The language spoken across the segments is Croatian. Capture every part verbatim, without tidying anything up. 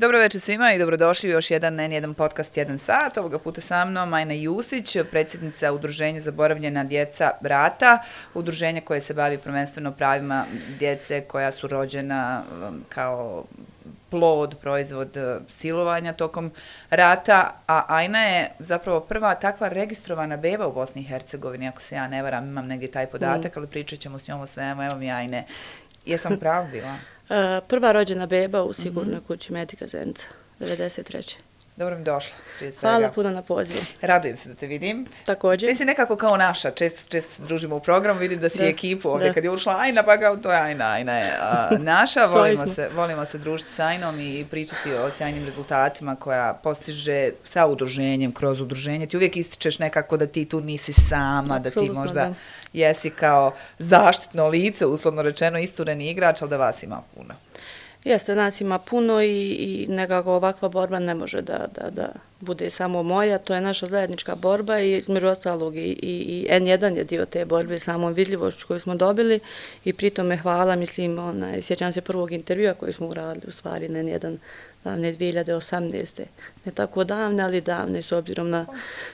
Dobro večer svima i dobrodošli u još jedan en jedan podcast jedan sat. Ovoga puta sa mnom Ajna Jusić, predsjednica Udruženja Zaboravljena djeca Rata, udruženje koje se bavi prvenstveno pravima djece koja su rođena kao plod, proizvod silovanja tokom rata, a Ajna je zapravo prva takva registrovana beba u Bosni i Hercegovini, ako se ja ne varam, imam negdje taj podatak, ali pričat ćemo s njom o svemu. Evo mi Ajne, jesam pravo bila? Uh, prva rođena beba u sigurnoj mm-hmm. kući Metika Zenica, devedeset treće Dobro mi došla, prije svega. Hvala puno na pozivu. Radujem se da te vidim. Također. Ti si nekako kao naša, često, često se družimo u programu, vidim da si da, ekipu ovdje. Da. Kad je ušla Ajna, pa kao to je Ajna, Ajna je a, naša. volimo, se, volimo se družiti s Ajnom i pričati o sjajnim rezultatima koja postiže sa udruženjem, kroz udruženje. Ti uvijek ističeš nekako da ti tu nisi sama, Absolutno, da ti možda da. jesi kao zaštitno lice, uslovno rečeno istureni igrač, ali da vas ima puno. Jeste, nas ima puno i, i nekako ovakva borba ne može da, da, da bude samo moja, to je naša zajednička borba i između ostalog i, i, i en jedan je dio te borbe samom vidljivošću koju smo dobili i pritome hvala, mislim, onaj, sjećam se prvog intervjua koji smo uradili u stvari na en jedan davne dvije hiljade osamnaeste Ne tako davne, ali davne s obzirom na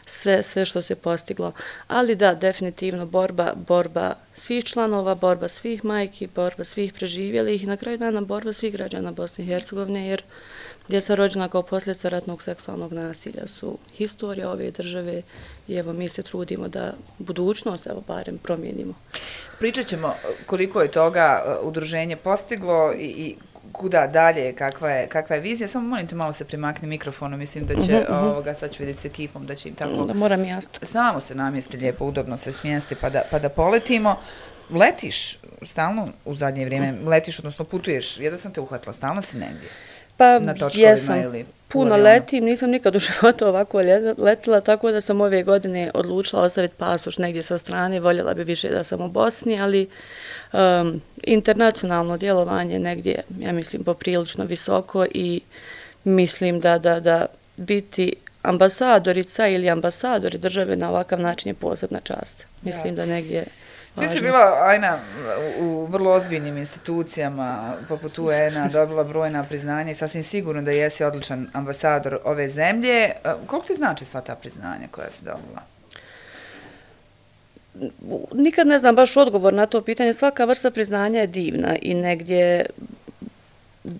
sve, sve što se postiglo. Ali da, definitivno borba, borba svih članova, borba svih majki, borba svih preživjelih i na kraju dana borba svih građana Bosne i Hercegovine, jer djeca rođena kao posljedica ratnog seksualnog nasilja su historija ove države i evo mi se trudimo da budućnost evo barem promijenimo. Pričat ćemo koliko je toga udruženje postiglo i, i kuda dalje, kakva je, kakva je vizija. Samo molim te malo se primakni mikrofonu, mislim da će, uh-huh. ovoga, sad ću vidjeti s ekipom, da će im tako... Da moram jasno. Samo se namjesti lijepo, udobno se smjesti pa da, pa da poletimo. Letiš stalno u zadnje vrijeme, letiš, odnosno putuješ, jedva sam te uhvatila, stalno si negdje? Pa na točkovima jesam, ili puno letim, nisam nikad u životu ovako letila, tako da sam ove godine odlučila ostaviti pasoš negdje sa strane, voljela bi više da sam u Bosni, ali um, internacionalno djelovanje negdje, ja mislim, poprilično visoko i mislim da, da, da biti ambasadorica ili ambasadori države na ovakav način je posebna čast. Mislim da, da negdje... Ti si bila, Ajna, u vrlo ozbiljnim institucijama poput U en-a, dobila brojna priznanja i sasvim sigurno da jesi odličan ambasador ove zemlje. Koliko ti znači sva ta priznanja koja si dobila? Nikad ne znam baš odgovor na to pitanje. Svaka vrsta priznanja je divna i negdje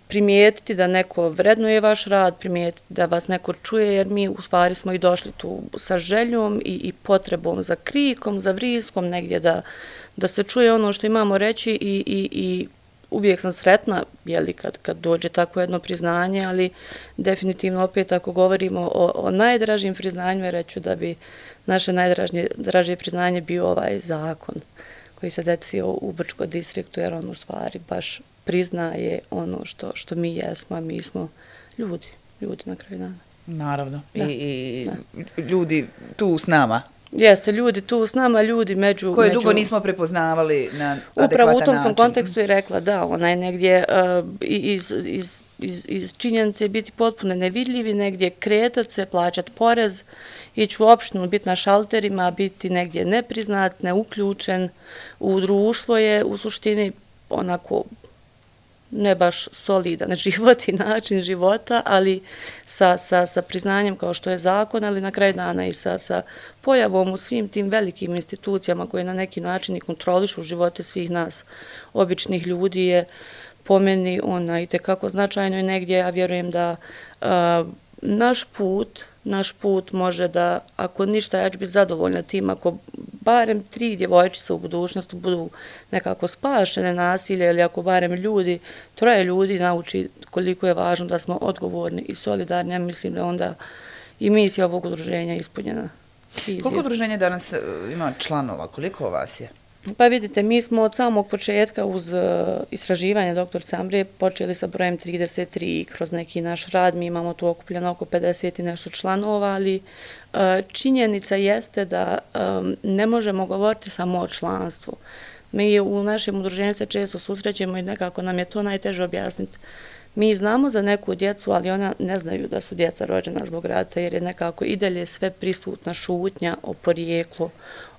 primijetiti da neko vrednuje vaš rad, primijetiti da vas neko čuje, jer mi u stvari smo i došli tu sa željom i, i potrebom za krikom, za vriskom, negdje da, da se čuje ono što imamo reći i, i, i uvijek sam sretna jeli, kad, kad dođe tako jedno priznanje, ali definitivno opet ako govorimo o, o najdražim priznanjima, reću da bi naše najdražije priznanje bio ovaj zakon koji se desio u Brčko distriktu, jer on u stvari baš priznaje ono što, što mi jesmo, a mi smo ljudi, ljudi na kraju dana. Naravno. Da. I, i da. ljudi tu s nama. Jeste, ljudi tu s nama, ljudi među... Koje među... dugo nismo prepoznavali na adekvatan način. Upravo u tom sam kontekstu i rekla, da, onaj negdje uh, iz, iz, iz, iz činjenice biti potpuno nevidljivi, negdje kretat se, plaćat porez, ići u opštinu, biti na šalterima, biti negdje nepriznat, neuključen u društvo je u suštini onako ne baš solidan život i način života, ali sa, sa, sa priznanjem kao što je zakon, ali na kraju dana i sa, sa pojavom u svim tim velikim institucijama koje na neki način i kontrolišu živote svih nas, običnih ljudi, je po meni ona i tekako značajno i negdje ja vjerujem da a, naš put, naš put može da, ako ništa, ja ću biti zadovoljna tim, ako barem tri djevojčice u budućnosti budu nekako spašene nasilje ili ako barem ljudi, troje ljudi nauči koliko je važno da smo odgovorni i solidarni, ja mislim da onda i misija ovog udruženja ispunjena. Vizija. Koliko udruženje danas ima članova? Koliko vas je? Pa vidite, mi smo od samog početka uz uh, istraživanje doktor Cambre počeli sa brojem trideset tri i kroz neki naš rad. Mi imamo tu okupljeno oko pedeset i nešto članova, ali uh, činjenica jeste da um, ne možemo govoriti samo o članstvu. Mi u našem udruženju se često susrećemo i nekako nam je to najteže objasniti. Mi znamo za neku djecu, ali ona ne znaju da su djeca rođena zbog rata, jer je nekako i dalje sve prisutna šutnja o porijeklu,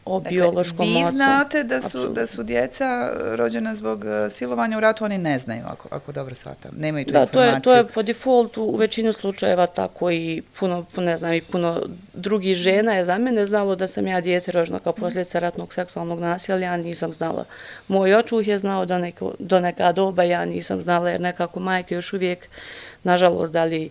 o dakle, biološkom vi ocu. Vi znate da su, Apsolutno. da su djeca rođena zbog silovanja u ratu, oni ne znaju, ako, ako dobro shvatam. Nemaju tu da, informaciju. Da, to je, to je po defaultu u većinu slučajeva tako i puno, ne znam, i puno drugih žena je za mene znalo da sam ja dijete rođena kao posljedica ratnog seksualnog nasilja, ja nisam znala. Moj očuh je znao do, neko, do neka doba, ja nisam znala jer nekako majke još uvijek, nažalost, da li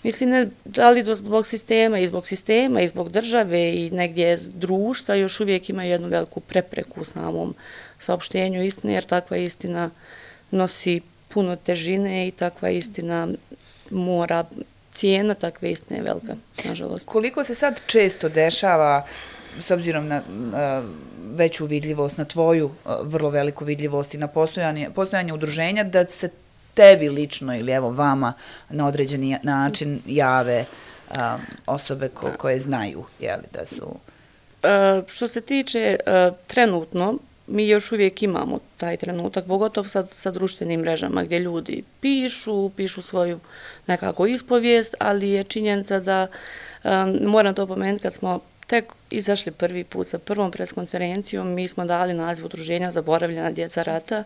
Mislim, ne, da li zbog sistema i zbog sistema i zbog države i negdje društva još uvijek ima jednu veliku prepreku u samom saopštenju istine, jer takva istina nosi puno težine i takva istina mora, cijena takve istine je velika, nažalost. Koliko se sad često dešava, s obzirom na uh, veću vidljivost, na tvoju uh, vrlo veliku vidljivost i na postojanje, postojanje udruženja, da se tebi lično ili evo vama na određeni način jave um, osobe ko, koje znaju jeli, da su... Uh, što se tiče uh, trenutno, mi još uvijek imamo taj trenutak, pogotovo sa, sa društvenim mrežama gdje ljudi pišu, pišu svoju nekako ispovijest, ali je činjenica da, um, moram to pomenuti, kad smo tek izašli prvi put sa prvom preskonferencijom, mi smo dali naziv udruženja Zaboravljena djeca rata.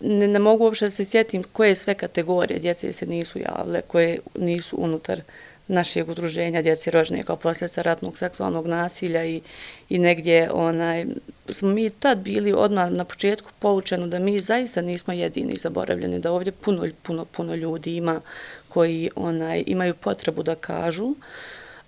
Ne, ne mogu uopšte da se sjetim koje sve kategorije djece se nisu javile, koje nisu unutar našeg udruženja djece rođene kao posljedica ratnog seksualnog nasilja i, i negdje onaj, smo mi tad bili odmah na početku poučeni da mi zaista nismo jedini zaboravljeni, da ovdje puno, puno, puno ljudi ima koji onaj, imaju potrebu da kažu.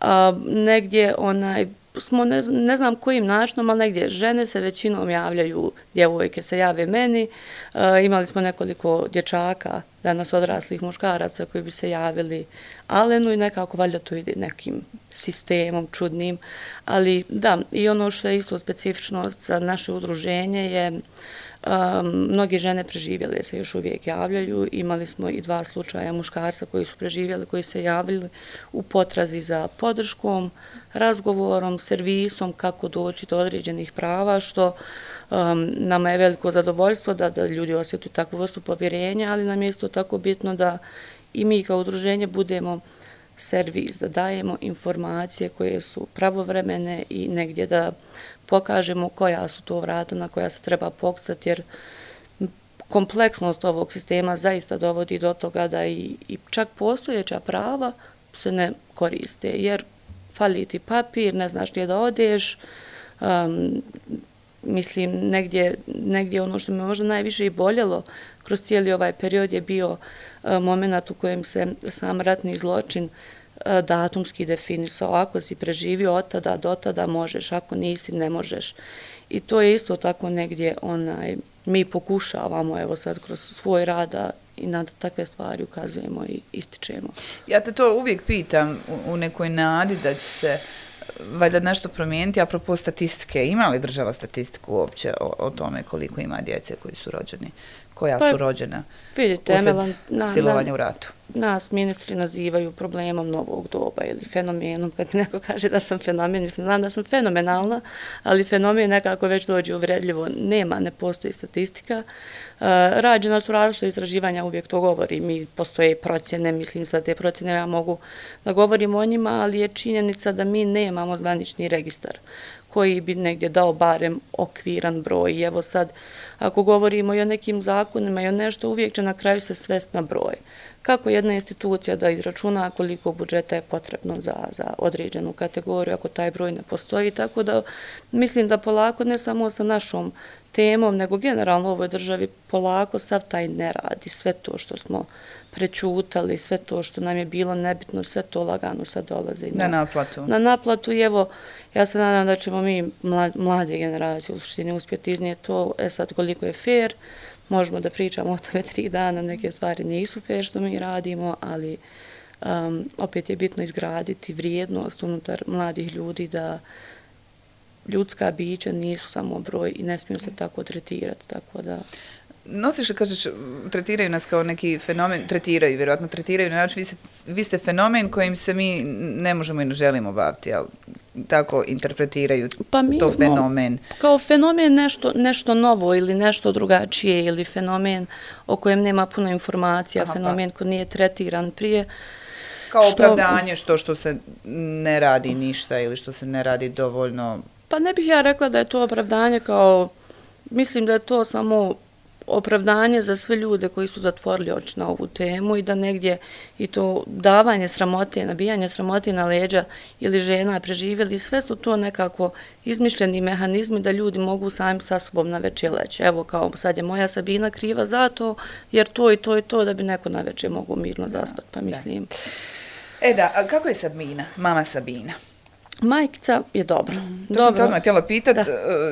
A, negdje onaj, smo, ne, ne znam kojim načinom, ali negdje žene se većinom javljaju, djevojke se jave meni, e, imali smo nekoliko dječaka, danas odraslih muškaraca koji bi se javili Alenu i nekako valjda to ide nekim sistemom čudnim, ali da, i ono što je isto specifičnost za naše udruženje je Um, mnogi žene preživjele se još uvijek javljaju. Imali smo i dva slučaja muškarca koji su preživjeli, koji se javili u potrazi za podrškom, razgovorom, servisom, kako doći do određenih prava, što um, nama je veliko zadovoljstvo da, da ljudi osjetuju takvu vrstu povjerenja, ali nam je isto tako bitno da i mi kao udruženje budemo servis, da dajemo informacije koje su pravovremene i negdje da pokažemo koja su to vrata na koja se treba pokucati, jer kompleksnost ovog sistema zaista dovodi do toga da i, i čak postojeća prava se ne koriste, jer fali ti papir, ne znaš gdje da odeš, um, mislim, negdje, negdje ono što me možda najviše i boljelo kroz cijeli ovaj period je bio uh, moment u kojem se sam ratni zločin datumski definisao, ako si preživio od tada do tada možeš, ako nisi ne možeš. I to je isto tako negdje onaj, mi pokušavamo evo sad kroz svoj rad i na takve stvari ukazujemo i ističemo. Ja te to uvijek pitam u, u nekoj nadi da će se valjda nešto promijeniti, apropo statistike. Ima li država statistiku uopće o, o tome koliko ima djece koji su rođeni? Koja pa, su rođena vidite, usred silovanja u ratu? Nas ministri nazivaju problemom novog doba ili fenomenom. Kad mi neko kaže da sam fenomen, mislim, znam da sam fenomenalna, ali fenomen nekako već dođe uvredljivo. Nema, ne postoji statistika. Uh, rađena su različite istraživanja, uvijek to govori. Mi postoje procjene, mislim za te procjene ja mogu da govorim o njima, ali je činjenica da mi nemamo zvanični registar koji bi negdje dao barem okviran broj. I evo sad, ako govorimo i o nekim zakonima i o nešto, uvijek će na kraju se svesti na broj. Kako jedna institucija da izračuna koliko budžeta je potrebno za, za određenu kategoriju, ako taj broj ne postoji. Tako da mislim da polako, ne samo sa našom temom, nego generalno u ovoj državi polako sav taj ne radi. Sve to što smo prečutali, sve to što nam je bilo nebitno, sve to lagano sad dolaze. Na, na naplatu. Na naplatu i evo, ja se nadam da ćemo mi mlade generacije u suštini uspjeti iznijeti to. E sad koliko je fair, možemo da pričamo o tome tri dana, neke stvari nisu fair što mi radimo, ali um, opet je bitno izgraditi vrijednost unutar mladih ljudi da ljudska bića nisu samo broj i ne smiju se tako tretirati, tako da... Nosiš li, kažeš, tretiraju nas kao neki fenomen, tretiraju, vjerojatno tretiraju, na način, vi, se, vi ste fenomen kojim se mi ne možemo i ne želimo baviti, ali tako interpretiraju pa mi to fenomen. Kao fenomen nešto, nešto novo ili nešto drugačije ili fenomen o kojem nema puno informacija, aha, fenomen pa. Koji nije tretiran prije. Kao što, opravdanje što, što se ne radi ništa ili što se ne radi dovoljno... Pa ne bih ja rekla da je to opravdanje kao, mislim da je to samo opravdanje za sve ljude koji su zatvorili oči na ovu temu i da negdje i to davanje sramote, nabijanje sramote na leđa ili žena preživjeli, sve su to nekako izmišljeni mehanizmi da ljudi mogu sami sa sobom na večer leći. Evo kao sad je moja Sabina kriva za to, jer to i to i to da bi neko na večer mogu mirno zaspati, pa mislim. E da, a kako je Sabina, mama Sabina? Majkica je dobro. Mm, to dobro. Sam te odmah htjela pitat, da.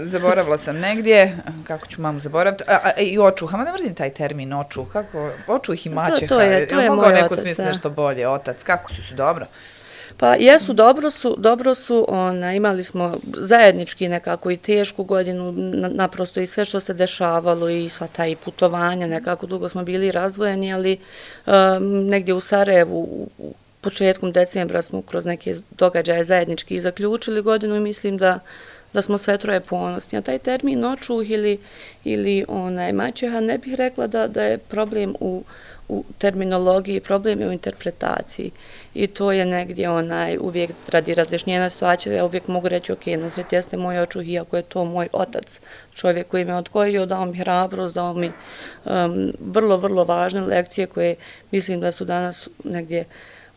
Zaboravila sam negdje, kako ću mamu zaboraviti, a, a, i očuha, ma ne mrzim taj termin očuh, kako, očuh i maćeha, to, to je, to je mogao moj neko otac, smisli nešto bolje, otac, kako su su dobro? Pa jesu, dobro su, dobro su, ona, imali smo zajednički nekako i tešku godinu, naprosto i sve što se dešavalo i sva ta i putovanja, nekako dugo smo bili razdvojeni, ali um, negdje u Sarajevu, u početkom decembra smo kroz neke događaje zajednički zaključili godinu i mislim da, da smo sve troje ponosni. A taj termin očuh ili, ili onaj, maćeha ne bih rekla da, da je problem u, u terminologiji, problem je u interpretaciji. I to je negdje onaj, uvijek radi razjašnjenja situacije, ja uvijek mogu reći, ok, Nusret jeste moj očuh, iako je to moj otac, čovjek koji me odgojio, dao mi hrabrost, dao mi um, vrlo, vrlo važne lekcije koje mislim da su danas negdje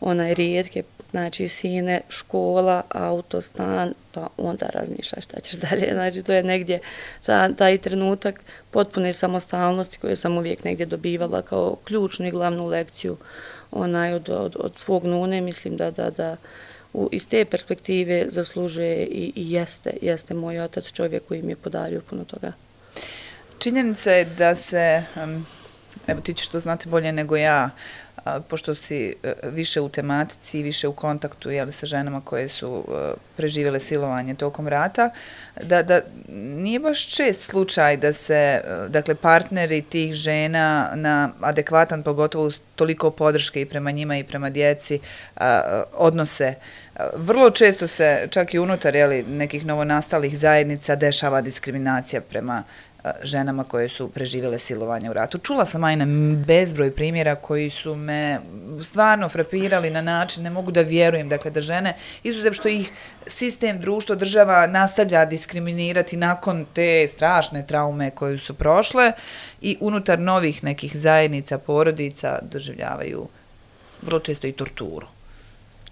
onaj rijetke, znači sine, škola, auto, stan, pa onda razmišljaš šta ćeš dalje. Znači to je negdje ta, taj trenutak potpune samostalnosti koju sam uvijek negdje dobivala kao ključnu i glavnu lekciju onaj, od, od, od svog nune. Mislim da, da, da u, iz te perspektive zaslužuje i, i jeste, jeste moj otac čovjek koji mi je podario puno toga. Činjenica je da se, um, evo ti ćeš to znati bolje nego ja, pošto si više u tematici, više u kontaktu jeli, sa ženama koje su preživjele silovanje tokom rata, da, da nije baš čest slučaj da se dakle, partneri tih žena na adekvatan, pogotovo toliko podrške i prema njima i prema djeci, odnose. Vrlo često se, čak i unutar jeli, nekih novonastalih zajednica, dešava diskriminacija prema ženama koje su preživjele silovanje u ratu. Čula sam, Ajna, bezbroj primjera koji su me stvarno frapirali na način, ne mogu da vjerujem, dakle, da žene, izuzev što ih sistem, društvo, država nastavlja diskriminirati nakon te strašne traume koju su prošle i unutar novih nekih zajednica, porodica, doživljavaju vrlo često i torturu.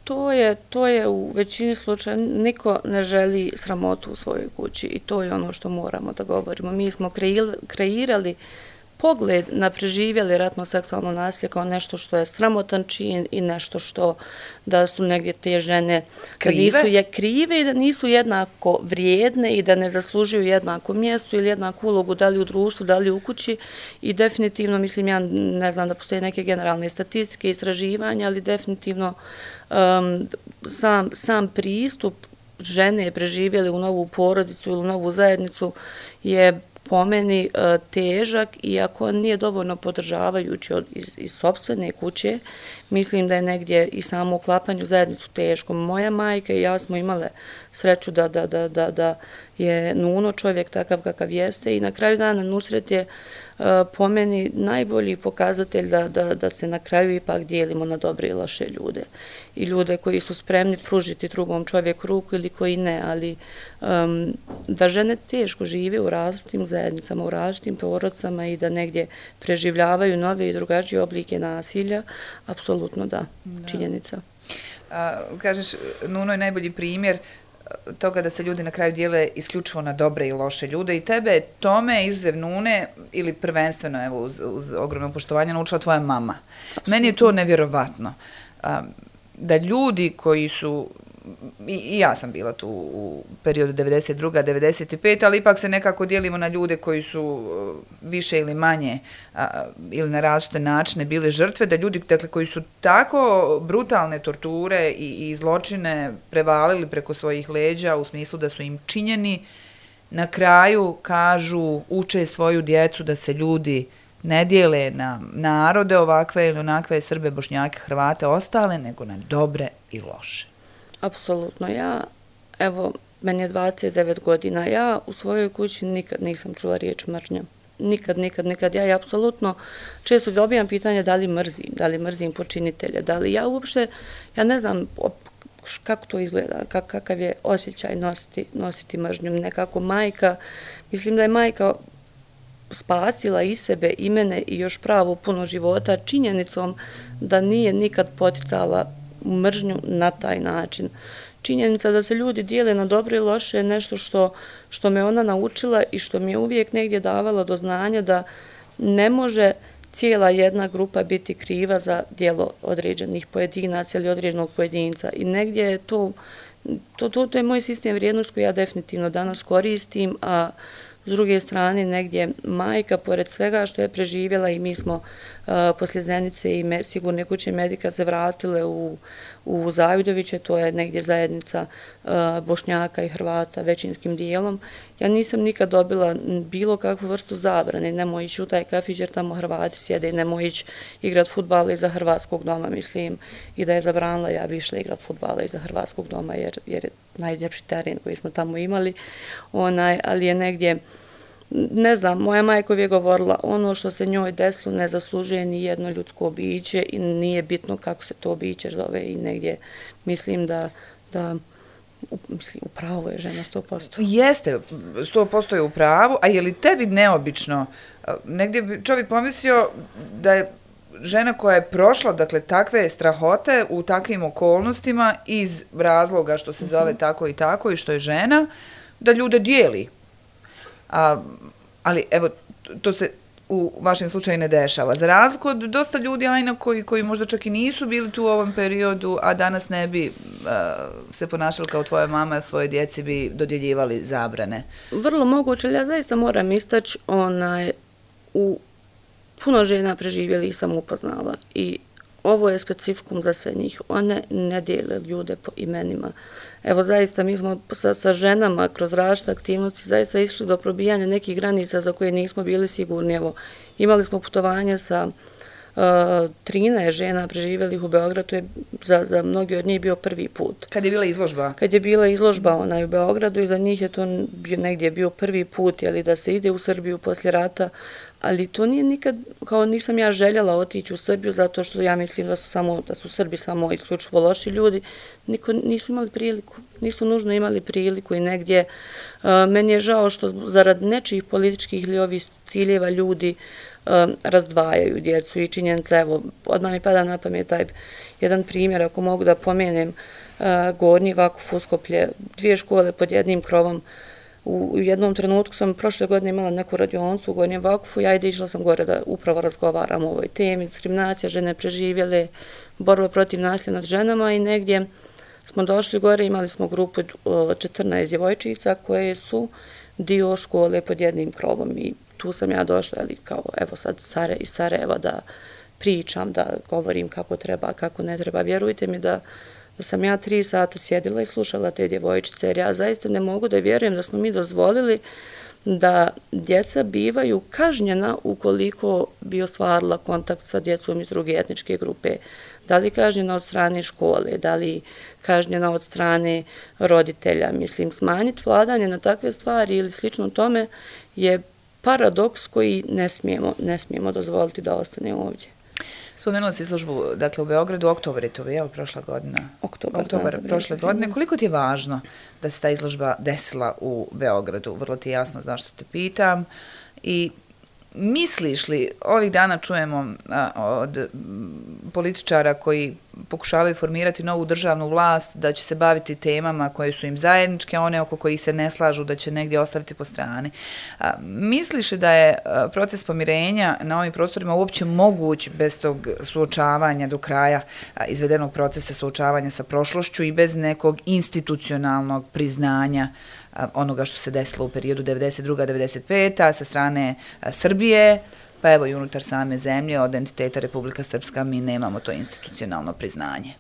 To je, to je u većini slučaja, niko ne želi sramotu u svojoj kući i to je ono što moramo da govorimo. Mi smo kreirali pogled na preživjeli ratno seksualno nasilje kao nešto što je sramotan čin i nešto što da su negdje te žene krive, da nisu je krive i da nisu jednako vrijedne i da ne zaslužuju jednako mjesto ili jednaku ulogu da li u društvu, da li u kući i definitivno, mislim, ja ne znam da postoje neke generalne statistike, istraživanja, ali definitivno um, sam, sam pristup žene preživjeli u novu porodicu ili u novu zajednicu je po meni težak, iako nije dovoljno podržavajući od, iz, iz sopstvene kuće, mislim da je negdje i samo uklapanje u zajednicu teško. Moja majka i ja smo imale sreću da, da, da, da, da je Nuno čovjek takav kakav jeste i na kraju dana Nusret je uh, po meni najbolji pokazatelj da, da, da se na kraju ipak dijelimo na dobre i loše ljude. I ljude koji su spremni pružiti drugom čovjeku ruku ili koji ne, ali um, da žene teško žive u različitim zajednicama, u različitim porodicama i da negdje preživljavaju nove i drugačije oblike nasilja, apsolutno da, da. Činjenica. A, kažeš, Nuno je najbolji primjer toga da se ljudi na kraju dijele isključivo na dobre i loše ljude i tebe tome, izuzev Nune, ili prvenstveno, evo, uz, uz ogromno poštovanje, naučila tvoja mama. Absolutno. Meni je to nevjerovatno. A, da ljudi koji su, i, i ja sam bila tu u periodu devedeset druga devedeset peta ali ipak se nekako dijelimo na ljude koji su više ili manje a, ili na različite načine bili žrtve, da ljudi dakle, koji su tako brutalne torture i, i zločine prevalili preko svojih leđa u smislu da su im činjeni, na kraju kažu, uče svoju djecu da se ljudi ne dijele na narode ovakve ili onakve, Srbe, Bošnjake, Hrvate, ostale, nego na dobre i loše. Apsolutno. Ja, evo, meni je dvadeset devet godina, ja u svojoj kući nikad nisam čula riječ mržnja. Nikad, nikad, nikad. Ja, ja apsolutno često dobijam pitanje da li mrzim, da li mrzim počinitelje, da li ja uopšte, ja ne znam kako to izgleda, kakav je osjećaj nositi, nositi mržnju. Nekako majka, mislim da je majka spasila i sebe, i mene i još pravo puno života činjenicom da nije nikad poticala mržnju na taj način. Činjenica da se ljudi dijele na dobro i loše je nešto što, što me ona naučila i što mi je uvijek negdje davala do znanja da ne može cijela jedna grupa biti kriva za djelo određenih pojedinaca ili određenog pojedinca. I negdje je to, to, to, to je moj sistem vrijednost koji ja definitivno danas koristim, a s druge strane, negdje majka, pored svega što je preživjela i mi smo uh, poslije Zenice i me, sigurne kuće medika se vratile u, u Zavidoviće, to je negdje zajednica uh, Bošnjaka i Hrvata većinskim dijelom. Ja nisam nikad dobila bilo kakvu vrstu zabrane, nemoj ići u taj kafić jer tamo Hrvati sjede, nemoj ići igrat fudbala iza Hrvatskog doma, mislim, i da je zabranila, ja bi išla igrat fudbala iza Hrvatskog doma jer, jer je najljepši teren koji smo tamo imali, onaj, ali je negdje, ne znam, moja majka je govorila, ono što se njoj desilo ne zaslužuje ni jedno ljudsko biće i nije bitno kako se to biće zove i negdje mislim da, da mislim, u pravu je žena sto posto. Jeste, sto posto je u pravu, a je li tebi neobično, negdje bi čovjek pomislio da je žena koja je prošla, dakle, takve strahote u takvim okolnostima iz razloga što se zove tako i tako i što je žena, da ljude dijeli. A, ali, evo, to se u vašem slučaju ne dešava. Za razliku od dosta ljudi, ajna, koji, koji možda čak i nisu bili tu u ovom periodu, a danas ne bi a, se ponašali kao tvoja mama, svoje djeci bi dodjeljivali zabrane. Vrlo moguće, ali ja zaista moram istaći, onaj, u puno žena preživjeli i sam upoznala i ovo je specifikum za sve njih. One ne dijele ljude po imenima. Evo, zaista, mi smo sa, sa ženama kroz različite aktivnosti zaista išli do probijanja nekih granica za koje nismo bili sigurni. Evo, imali smo putovanje sa uh, trinaest žena preživjelih u Beogradu, to je za, za mnogi od njih bio prvi put. Kad je bila izložba? Kad je bila izložba onaj u Beogradu i za njih je to bio, negdje bio prvi put, jeli, da se ide u Srbiju poslije rata, ali to nije nikad, kao nisam ja željela otići u Srbiju zato što ja mislim da su, samo, da su Srbi samo isključivo loši ljudi, niko nisu imali priliku, nisu nužno imali priliku i negdje uh, meni je žao što zarad nečijih političkih ili ovih ciljeva ljudi uh, razdvajaju djecu i činjenica, evo, odmah mi pada na pamet taj jedan primjer, ako mogu da pomenem, uh, Gornji Vakuf Uskoplje, dvije škole pod jednim krovom. U jednom trenutku sam prošle godine imala neku radioncu u Gornjem Vakufu, ja i išla sam gore da upravo razgovaram o ovoj temi, diskriminacija, žene preživjele, borba protiv nasilja nad ženama i negdje smo došli gore, imali smo grupu četrnaest djevojčica koje su dio škole pod jednim krovom i tu sam ja došla, ali kao evo sad Sare, iz Sarajeva da pričam, da govorim kako treba, kako ne treba. Vjerujte mi da da sam ja tri sata sjedila i slušala te djevojčice, jer ja zaista ne mogu da vjerujem da smo mi dozvolili da djeca bivaju kažnjena ukoliko bi ostvarila kontakt sa djecom iz druge etničke grupe. Da li kažnjena od strane škole, da li kažnjena od strane roditelja. Mislim, smanjiti vladanje na takve stvari ili slično tome je paradoks koji ne smijemo, ne smijemo dozvoliti da ostane ovdje. Spomenula si izložbu, dakle, u Beogradu, oktobar je to, je li prošla godina? Oktobar, oktobar da, prošle godine. Koliko ti je važno da se ta izložba desila u Beogradu? Vrlo ti je jasno zašto te pitam. I misliš li, ovih dana čujemo a, od m, političara koji pokušavaju formirati novu državnu vlast, da će se baviti temama koje su im zajedničke, one oko kojih se ne slažu da će negdje ostaviti po strani. A, misliš li da je a, proces pomirenja na ovim prostorima uopće moguć bez tog suočavanja do kraja a, izvedenog procesa suočavanja sa prošlošću i bez nekog institucionalnog priznanja onoga što se desilo u periodu devedeset druga do devedeset peta sa strane Srbije, pa evo i unutar same zemlje od entiteta Republika Srpska mi nemamo to institucionalno priznanje.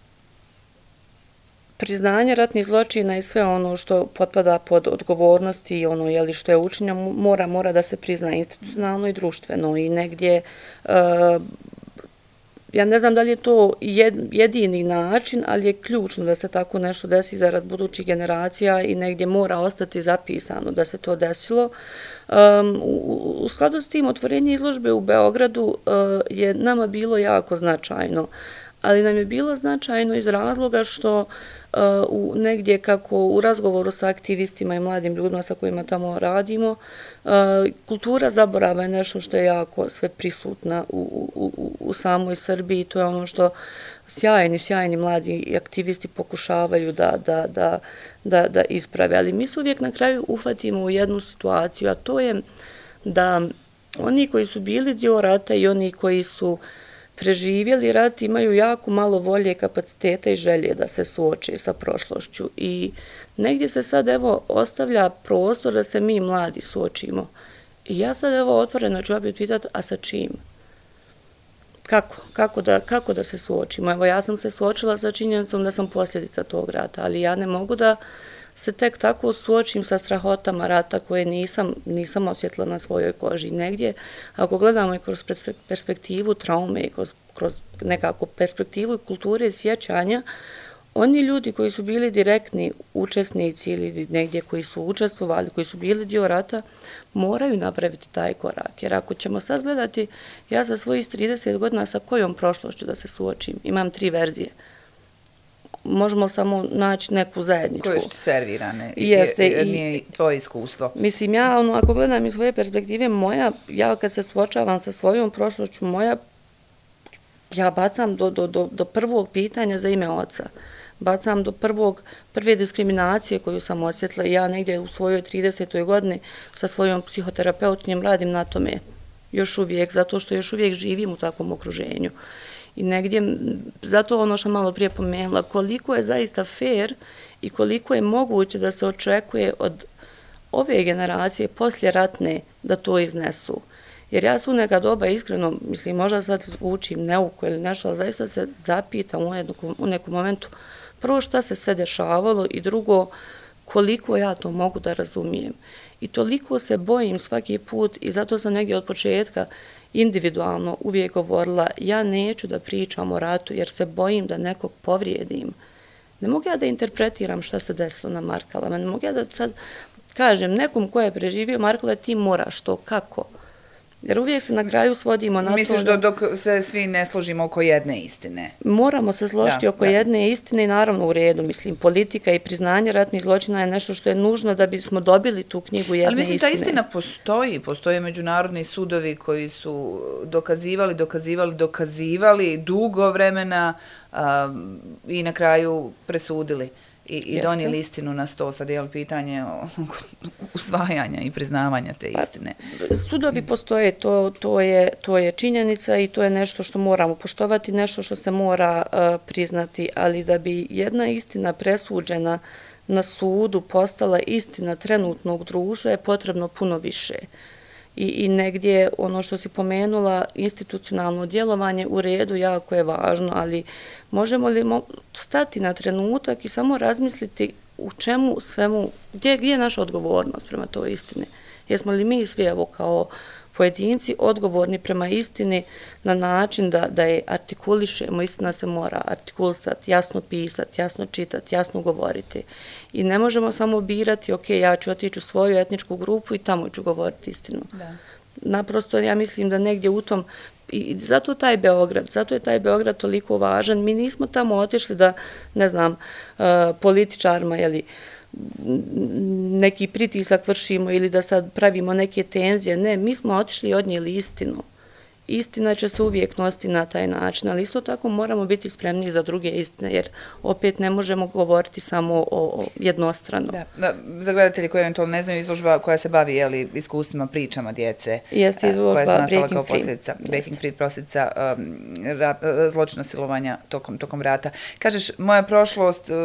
Priznanje ratnih zločina i sve ono što potpada pod odgovornosti i ono jeli, što je učinjeno mora, mora da se prizna institucionalno i društveno i negdje uh, ja ne znam da li je to jedini način, ali je ključno da se tako nešto desi zarad budućih generacija i negdje mora ostati zapisano da se to desilo. Um, u, u skladu s tim otvorenje izložbe u Beogradu uh, je nama bilo jako značajno. ali nam je bilo značajno iz razloga što uh, u negdje kako u razgovoru sa aktivistima i mladim ljudima sa kojima tamo radimo, uh, kultura zaborava je nešto što je jako sve prisutna u, u, u, u samoj Srbiji. To je ono što sjajni, sjajni mladi aktivisti pokušavaju da, da, da, da, da isprave. Ali mi se uvijek na kraju uhvatimo u jednu situaciju, a to je da oni koji su bili dio rata i oni koji su preživjeli rat imaju jako malo volje, kapaciteta i želje da se suoče sa prošlošću. I negdje se sad evo ostavlja prostor da se mi mladi suočimo. I ja sad evo otvoreno ću opet pitati, a sa čim? Kako? Kako da, kako da se suočimo? Evo ja sam se suočila sa činjenicom da sam posljedica tog rata, ali ja ne mogu da se tek tako suočim sa strahotama rata koje nisam, nisam osjetila na svojoj koži. Negdje, ako gledamo i kroz perspektivu traume i kroz, kroz nekako perspektivu kulture sjećanja, oni ljudi koji su bili direktni učesnici ili negdje koji su učestvovali, koji su bili dio rata, moraju napraviti taj korak. Jer ako ćemo sad gledati, ja za svojih trideset godina sa kojom prošlošću da se suočim, imam tri verzije. Možemo samo naći neku zajedničku. Koje su servirane? Jeste. Jer nije tvoje iskustvo. Mislim, ja, ono, ako gledam iz svoje perspektive, moja, ja kad se suočavam sa svojom prošlošću, moja, ja bacam do, do, do, do prvog pitanja za ime oca. Bacam do prvog, prve diskriminacije koju sam osjetila. Ja negdje u svojoj tridesetoj godini sa svojom psihoterapeutkinjom radim na tome. Još uvijek, zato što još uvijek živim u takvom okruženju. I negdje, zato ono što malo prije pomenula, koliko je zaista fair i koliko je moguće da se očekuje od ove generacije poslijeratne da to iznesu. Jer ja su neka doba iskreno, mislim, možda sad učim neuku ili nešto, ali zaista se zapitam u, jednu, u nekom momentu prvo šta se sve dešavalo i drugo koliko ja to mogu da razumijem. I toliko se bojim svaki put i zato sam negdje od početka individualno uvijek govorila, ja neću da pričam o ratu jer se bojim da nekog povrijedim. Ne mogu ja da interpretiram šta se desilo na Markalama, ne mogu ja da sad kažem nekom ko je preživio Markale ti moraš to, kako? Jer uvijek se na kraju svodimo na to... Misliš da dok se svi ne složimo oko jedne istine? Moramo se složiti oko jedne istine i naravno u redu. Mislim, politika i priznanje ratnih zločina je nešto što je nužno da bismo dobili tu knjigu jedne istine. Ali mislim, ta istina postoji. Postoje međunarodni sudovi koji su dokazivali, dokazivali, dokazivali dugo vremena i na kraju presudili. I, i donijeli istinu na sto. Sad je pitanje usvajanja i priznavanja te istine. Pa, sudovi postoje, to, to, je, to je činjenica i to je nešto što moramo poštovati, nešto što se mora uh, priznati, ali da bi jedna istina presuđena na sudu postala istina trenutnog društva je potrebno puno više. I, i negdje ono što si pomenula, institucionalno djelovanje u redu jako je važno, ali možemo li stati na trenutak i samo razmisliti u čemu svemu, gdje, gdje je naša odgovornost prema toj istini? Jesmo li mi svi evo kao pojedinci odgovorni prema istini na način da, da je artikulišemo, istina se mora artikulisati, jasno pisati, jasno čitati, jasno govoriti. I ne možemo samo birati, ok, ja ću otići u svoju etničku grupu i tamo ću govoriti istinu. Da. Naprosto ja mislim da negdje u tom, i zato taj Beograd, zato je taj Beograd toliko važan. Mi nismo tamo otišli da, ne znam, uh, političarima, jeli, neki pritisak vršimo ili da sad pravimo neke tenzije. Ne, mi smo otišli i odnijeli istinu. Istina će se uvijek nositi na taj način, ali isto tako moramo biti spremni za druge istine, jer opet ne možemo govoriti samo o, o jednostrano. Da, da, za gledatelji koji eventualno ne znaju, izložba koja se bavi jeli, iskustvima, pričama djece, jeste izložba koja je nastala kao Free. posljedica, Breaking Free, posljedica um, rat, zločina silovanja tokom, tokom rata. Kažeš, moja prošlost uh,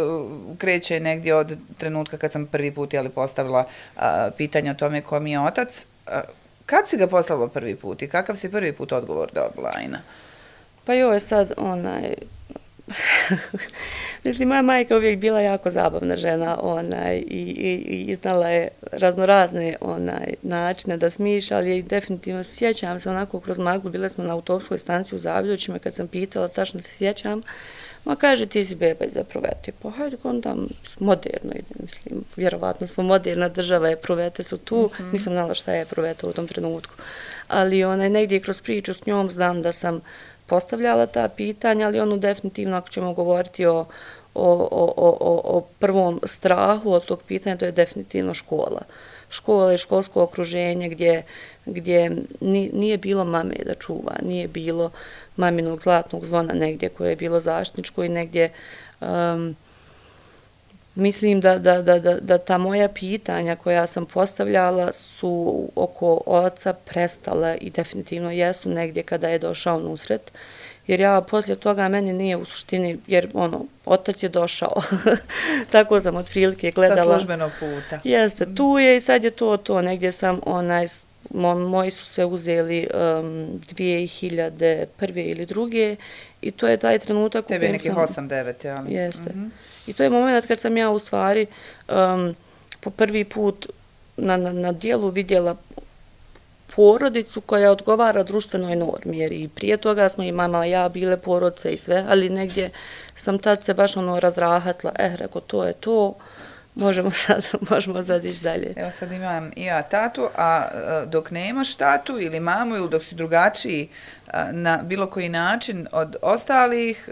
kreće negdje od trenutka kad sam prvi put jeli, postavila uh, pitanje o tome ko mi je otac. Uh, Kad si ga poslala prvi put i kakav si prvi put odgovor dobila, Ajna? Pa joj je sad onaj... Mislim, moja majka uvijek bila jako zabavna žena onaj, i, i, i znala je raznorazne onaj, načine da smišlja, ali definitivno sjećam se onako kroz maglu, bile smo na autobuskoj stanici u Zaviljućima, kad sam pitala, tačno se sjećam, ma kaže ti si beba iz Eprovete, pa hajde onda moderno ide, mislim, vjerovatno smo moderna država, Eprovete su tu, mm-hmm. nisam znala šta je Eproveta u tom trenutku, ali onaj, negdje kroz priču s njom znam da sam postavljala ta pitanja, ali ono definitivno ako ćemo govoriti o, o, o, o, o prvom strahu od tog pitanja, to je definitivno škola. Škola i školsko okruženje gdje, gdje nije bilo mame da čuva, nije bilo maminog zlatnog zvona negdje koje je bilo zaštitničko i negdje um, mislim da, da, da, da, da ta moja pitanja koja sam postavljala su oko oca prestala i definitivno jesu negdje kada je došao nusret. Jer ja poslije toga meni nije u suštini, jer ono, otac je došao. Tako sam otprilike gledala. Sa službenog puta. Jeste, tu je i sad je to to. Negdje sam, onaj, moji su se uzeli um, dvije hiljade prve ili druge i to je taj trenutak u kojem sam... Tebi nekih osam devet, jel? Jeste. Mm-hmm. I to je moment kad sam ja u stvari um, po prvi put na, na, na dijelu vidjela porodicu koja odgovara društvenoj normi, jer i prije toga smo i mama i ja bile porodice i sve, ali negdje sam tad se baš ono razrahatla, eh, reko, to je to, možemo sad, možemo sad ići dalje. Evo sad imam i ja tatu, a dok nemaš tatu ili mamu ili dok si drugačiji na bilo koji način od ostalih,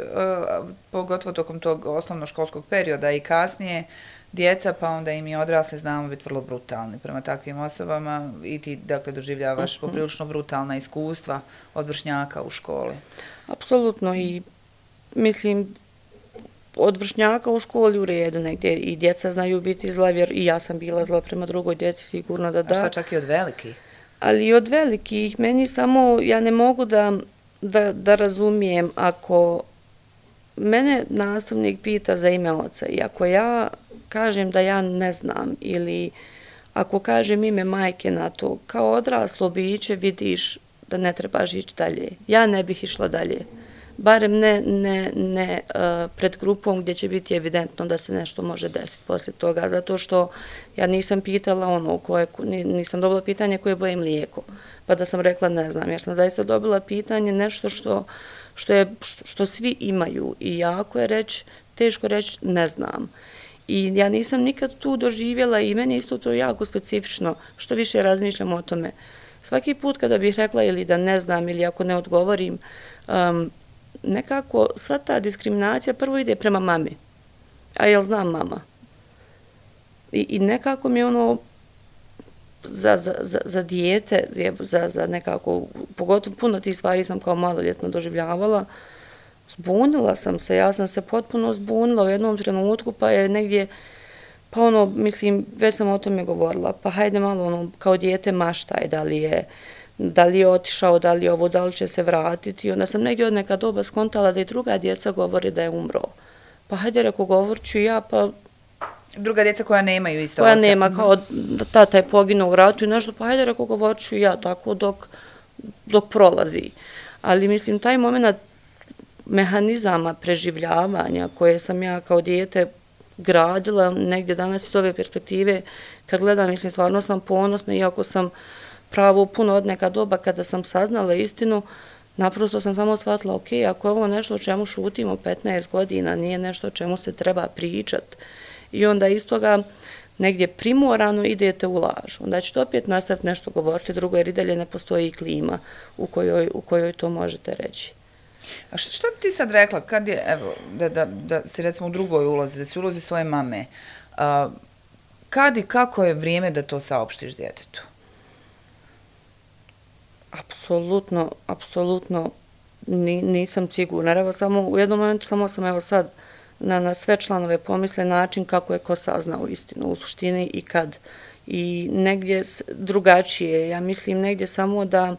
pogotovo tokom tog osnovnoškolskog perioda i kasnije, djeca, pa onda im i odrasli znamo biti vrlo brutalni prema takvim osobama i ti, dakle, doživljavaš poprilično brutalna iskustva od vršnjaka u školi. Apsolutno i mislim od vršnjaka u školi u redu negdje i djeca znaju biti zla, jer i ja sam bila zla prema drugoj djeci, sigurno da da. A šta čak i od velikih? Ali i od velikih, meni samo, ja ne mogu da, da, da razumijem ako mene nastavnik pita za ime oca i ako ja kažem da ja ne znam ili ako kažem ime majke na to, kao odraslo biće vidiš da ne trebaš ići dalje. Ja ne bih išla dalje. Barem ne, ne, ne uh, pred grupom gdje će biti evidentno da se nešto može desiti poslije toga, zato što ja nisam pitala ono koje, nisam dobila pitanje koje boje mlijeko, pa da sam rekla ne znam, jer sam zaista dobila pitanje nešto što, što, je, što svi imaju i jako je reći, teško reći ne znam. I ja nisam nikad tu doživjela i meni isto to jako specifično, što više razmišljam o tome. Svaki put kada bih rekla ili da ne znam ili ako ne odgovorim, um, nekako sva ta diskriminacija prvo ide prema mami. A jel znam mama? I, i nekako mi je ono za, za, za, za dijete, za, za nekako, pogotovo puno tih stvari sam kao maloljetna doživljavala, zbunila sam se, ja sam se potpuno zbunila u jednom trenutku, pa je negdje, pa ono, mislim, već sam o tome govorila, pa hajde malo ono, kao dijete maštaj, da li je, da li je otišao, da li je ovo, da li će se vratiti. Onda sam negdje od neka doba skontala da i druga djeca govori da je umro. Pa hajde, reko, govorit ću ja, pa... Druga djeca koja nemaju isto koja oca. Koja nema, kao da tata je poginuo u ratu i nešto, pa hajde, reko, govorit ću ja, tako dok, dok prolazi. Ali mislim, taj moment mehanizama preživljavanja koje sam ja kao dijete gradila negdje danas iz ove perspektive, kad gledam, mislim, stvarno sam ponosna, iako sam pravo puno od neka doba kada sam saznala istinu, naprosto sam samo shvatila, ok, ako je ovo nešto o čemu šutimo petnaest godina, nije nešto o čemu se treba pričat. I onda iz toga negdje primorano idete u laž. Onda ćete opet nastaviti nešto govoriti drugo, jer i dalje ne postoji klima u kojoj, u kojoj to možete reći. A što, što bi ti sad rekla, kad je, evo, da, da, da si recimo u drugoj ulozi, da si ulozi svoje mame, a, kad i kako je vrijeme da to saopštiš djetetu? Apsolutno, apsolutno ni, nisam sigurna. Evo samo, u jednom momentu samo sam evo sad na, na sve članove pomisle način kako je ko saznao istinu u suštini i kad. I negdje drugačije, ja mislim negdje samo da...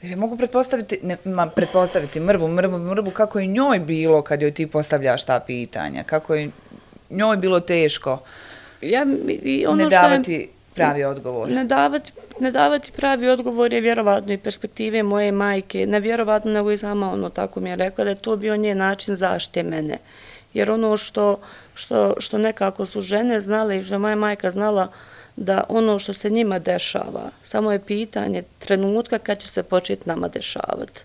Jer je mogu pretpostaviti, ne, ma, pretpostaviti mrvu, mrvu, mrvu, kako je njoj bilo kad joj ti postavljaš ta pitanja, kako je njoj bilo teško ja, i ono ne davati je, pravi odgovor. Ne davati, ne davati pravi odgovor je vjerovatno i perspektive moje majke, ne vjerovatno nego i sama ono tako mi je rekla da je to bio njen način zaštite mene. Jer ono što, što, što nekako su žene znale i što je moja majka znala da ono što se njima dešava, samo je pitanje trenutka kad će se početi nama dešavati.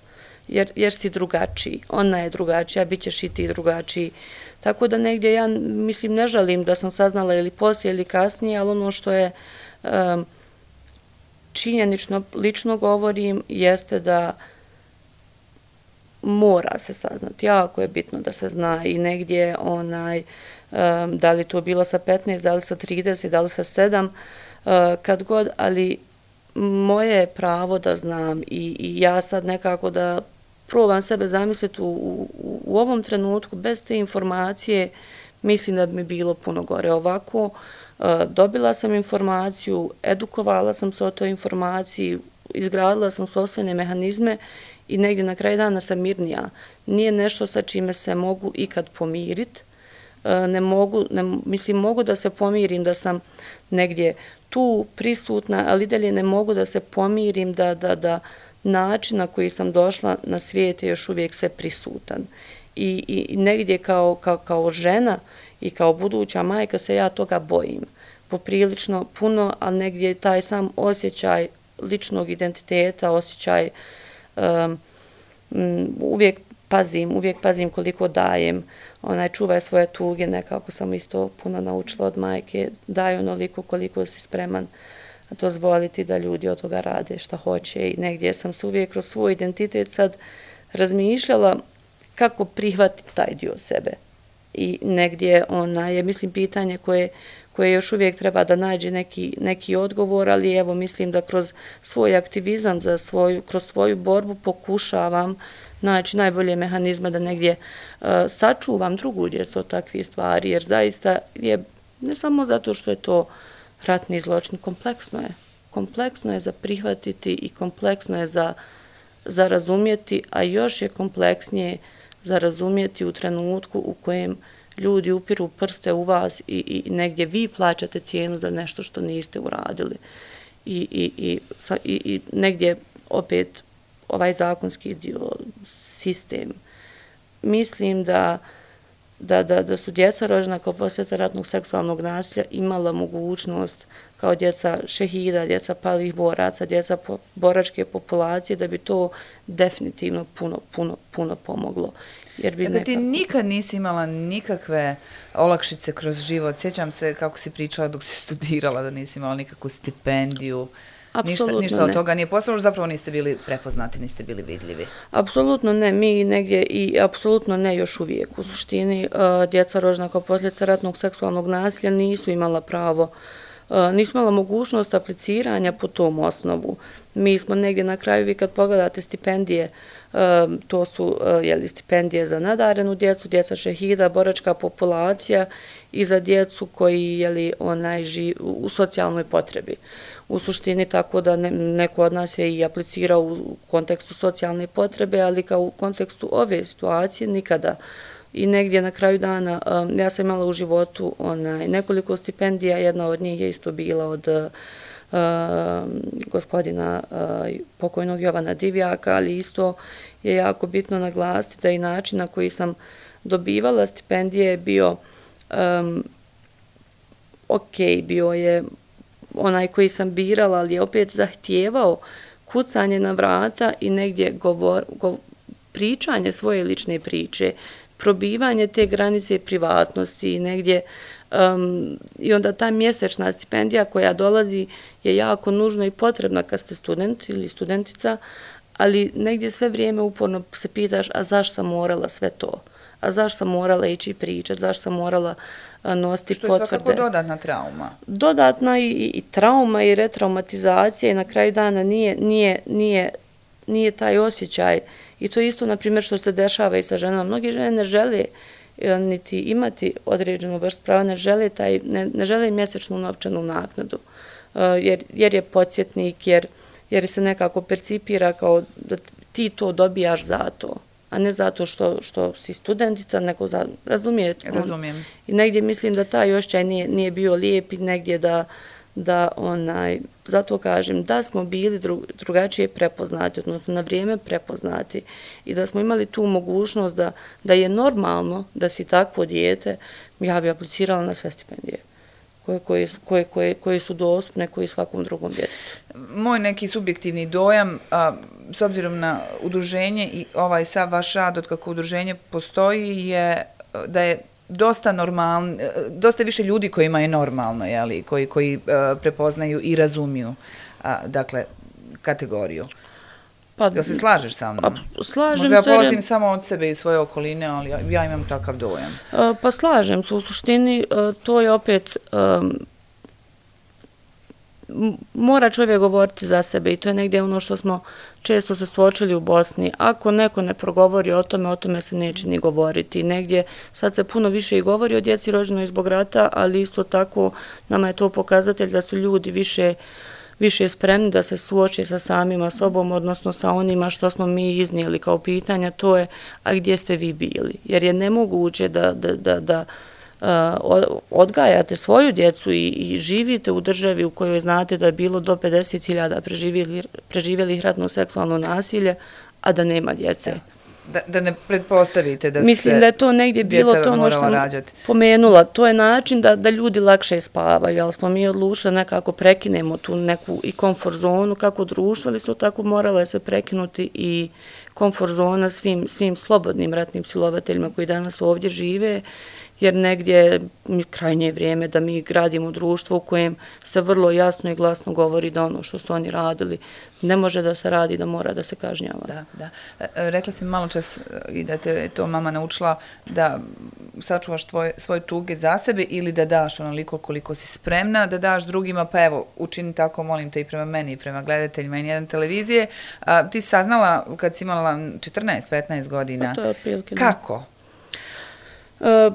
Jer, jer si drugačiji, ona je drugačija, bit ćeš i ti drugačiji. Tako da negdje ja, mislim, ne žalim da sam saznala ili poslije ili kasnije, ali ono što je um, činjenično, lično govorim, jeste da mora se saznati. Jako je bitno da se zna i negdje onaj, um, da li to bilo sa petnaest, da li sa trideset, da li sa sedam, uh, kad god, ali moje je pravo da znam i, i ja sad nekako da probam sebe zamisliti u, u, u ovom trenutku, bez te informacije, mislim da bi mi bilo puno gore. Ovako, uh, dobila sam informaciju, edukovala sam se o toj informaciji, izgradila sam sopstvene mehanizme i negdje na kraju dana sam mirnija. Nije nešto sa čime se mogu ikad pomiriti. Ne mogu, ne, mislim, mogu da se pomirim da sam negdje tu prisutna, ali dalje ne mogu da se pomirim da, da, da način na koji sam došla na svijet je još uvijek sve prisutan. I, i negdje kao, kao, kao žena i kao buduća majka se ja toga bojim. Poprilično puno, ali negdje taj sam osjećaj ličnog identiteta, osjećaj um, uvijek pazim, uvijek pazim koliko dajem, onaj čuvaj svoje tuge, nekako sam isto puno naučila od majke, daj onoliko koliko si spreman dozvoliti da ljudi od toga rade šta hoće i negdje sam se uvijek kroz svoj identitet sad razmišljala kako prihvatiti taj dio sebe. I negdje ona je, mislim, pitanje koje, koje još uvijek treba da nađe neki, neki odgovor, ali evo mislim da kroz svoj aktivizam, za svoju, kroz svoju borbu pokušavam naći najbolje mehanizme da negdje uh, sačuvam drugu djecu od takvih stvari, jer zaista je, ne samo zato što je to ratni zločin, kompleksno je. Kompleksno je za prihvatiti i kompleksno je za, za razumjeti, a još je kompleksnije za razumjeti u trenutku u kojem ljudi upiru prste u vas i, i negdje vi plaćate cijenu za nešto što niste uradili. I, i, i, i, i negdje opet ovaj zakonski dio, sistem. Mislim da, da, da, da su djeca rođena kao posljedica ratnog seksualnog nasilja imala mogućnost kao djeca šehida, djeca palih boraca, djeca po, boračke populacije, da bi to definitivno puno, puno, puno pomoglo. Jer bi dakle, nekako... ti nikad nisi imala nikakve olakšice kroz život. Sjećam se kako si pričala dok si studirala da nisi imala nikakvu stipendiju. Ništa, ništa od toga nije postalo, zapravo niste bili prepoznati, niste bili vidljivi. Apsolutno ne, mi negdje i apsolutno ne još uvijek. U suštini, uh, djeca rođena kao posljedica ratnog seksualnog nasilja nisu imala pravo, uh, nisu imala mogućnost apliciranja po tom osnovu. Mi smo negdje na kraju, vi kad pogledate stipendije, uh, to su uh, jeli, stipendije za nadarenu djecu, djeca šehida, boračka populacija i za djecu koji jeli, onaj, živ, u socijalnoj potrebi. U suštini tako da ne, neko od nas je i aplicirao u kontekstu socijalne potrebe, ali kao u kontekstu ove situacije nikada. I negdje na kraju dana, um, ja sam imala u životu onaj, nekoliko stipendija, jedna od njih je isto bila od uh, gospodina uh, pokojnog Jovana Divjaka, ali isto je jako bitno naglasiti da i način na koji sam dobivala stipendije je bio um, ok, bio je onaj koji sam birala, ali je opet zahtijevao kucanje na vrata i negdje govor, go, pričanje svoje lične priče, probivanje te granice privatnosti i negdje um, i onda ta mjesečna stipendija koja dolazi je jako nužna i potrebna kad ste student ili studentica, ali negdje sve vrijeme uporno se pitaš, a zašto sam morala sve to? A zašto sam morala ići pričati, zašto sam morala nositi potvrde. Što je svakako dodatna trauma. Dodatna i, i trauma i retraumatizacija i na kraju dana nije, nije, nije, nije taj osjećaj. I to je isto, na primjer, što se dešava i sa ženama. Mnogi žene ne žele niti imati određenu vrstu prava, ne žele, taj, ne, ne žele mjesečnu novčanu naknadu, jer, jer je podsjetnik, jer, jer se nekako percipira kao da ti to dobijaš za to, a ne zato što, što si studentica, nego za, razumijete? Razumijem. I negdje mislim da taj osjećaj nije, nije bio lijep i negdje da, da onaj, zato kažem, da smo bili dru, drugačije prepoznati, odnosno na vrijeme prepoznati i da smo imali tu mogućnost da, da je normalno da si takvo dijete, ja bi aplicirala na sve stipendije koje, koje, koje, koje, koje su dostupne koji svakom drugom djetetu. Moj neki subjektivni dojam, a, s obzirom na udruženje i ovaj sav vaš rad od kako udruženje postoji, je da je dosta normalno, dosta više ljudi kojima je normalno, jeli, koji, koji uh, prepoznaju i razumiju a, dakle, kategoriju. Pa, Jel se slažeš sa mnom? Pa, slažem Možda ja se. polazim samo od sebe i svoje okoline, ali ja, ja imam takav dojam. Pa slažem se, u suštini to je opet, um, mora čovjek govoriti za sebe i to je negdje ono što smo često se suočili u Bosni. Ako neko ne progovori o tome, o tome se neće ni govoriti. Negdje sad se puno više i govori o djeci rođenoj zbog rata, ali isto tako nama je to pokazatelj da su ljudi više više spremni da se suoče sa samima sobom, odnosno sa onima što smo mi iznijeli kao pitanja, to je, a gdje ste vi bili? Jer je nemoguće da, da, da, da uh, odgajate svoju djecu i, i živite u državi u kojoj znate da je bilo do pedeset hiljada preživjelih ratno seksualno nasilje, a da nema djece. Da, da ne pretpostavite da Mislim se da je to negdje bilo to ono što sam rađati. Pomenula. To je način da, da ljudi lakše spavaju, ali smo mi odlučili nekako prekinemo tu neku i komfort zonu kako društvo, ali isto tako morala je se prekinuti i komfort zona svim, svim slobodnim ratnim silovateljima koji danas ovdje žive, jer negdje krajnje vrijeme da mi gradimo društvo u kojem se vrlo jasno i glasno govori da ono što su oni radili ne može da se radi, da mora da se kažnjava. Da, da. Rekla si malo čas i da te je to mama naučila da sačuvaš tvoje, svoje tuge za sebe ili da daš onoliko koliko si spremna, da daš drugima, pa evo, učini tako, molim te i prema meni i prema gledateljima i nijedan televizije. A, ti si saznala kad si imala četrnaest petnaest godina. Pa to je otprilike. Kako? E,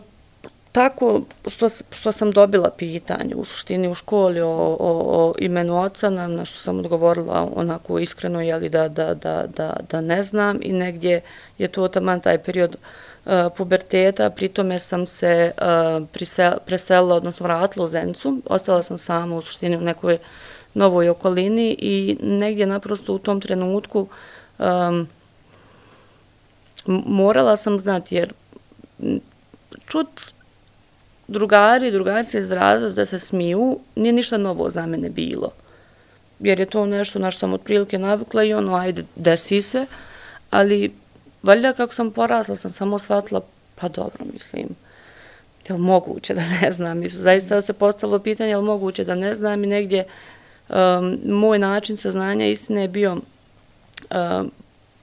Tako što, što sam dobila pitanje u suštini u školi o, o, o imenu oca, na, na što sam odgovorila onako iskreno, jeli da, da, da, da, da ne znam i negdje je to taman taj period uh, puberteta, pritome sam se uh, prisel, preselila, odnosno vratila u Zenicu, ostala sam sama u suštini u nekoj novoj okolini i negdje naprosto u tom trenutku um, morala sam znati, jer čut drugari, drugarice iz razreda da se smiju, nije ništa novo za mene bilo. Jer je to nešto na što sam otprilike navikla i ono, ajde, desi se, ali valjda kako sam porasla, sam samo shvatila, pa dobro, mislim, je li moguće da ne znam? Mislim, zaista se postavilo pitanje, je li moguće da ne znam i negdje um, moj način saznanja istine je bio um,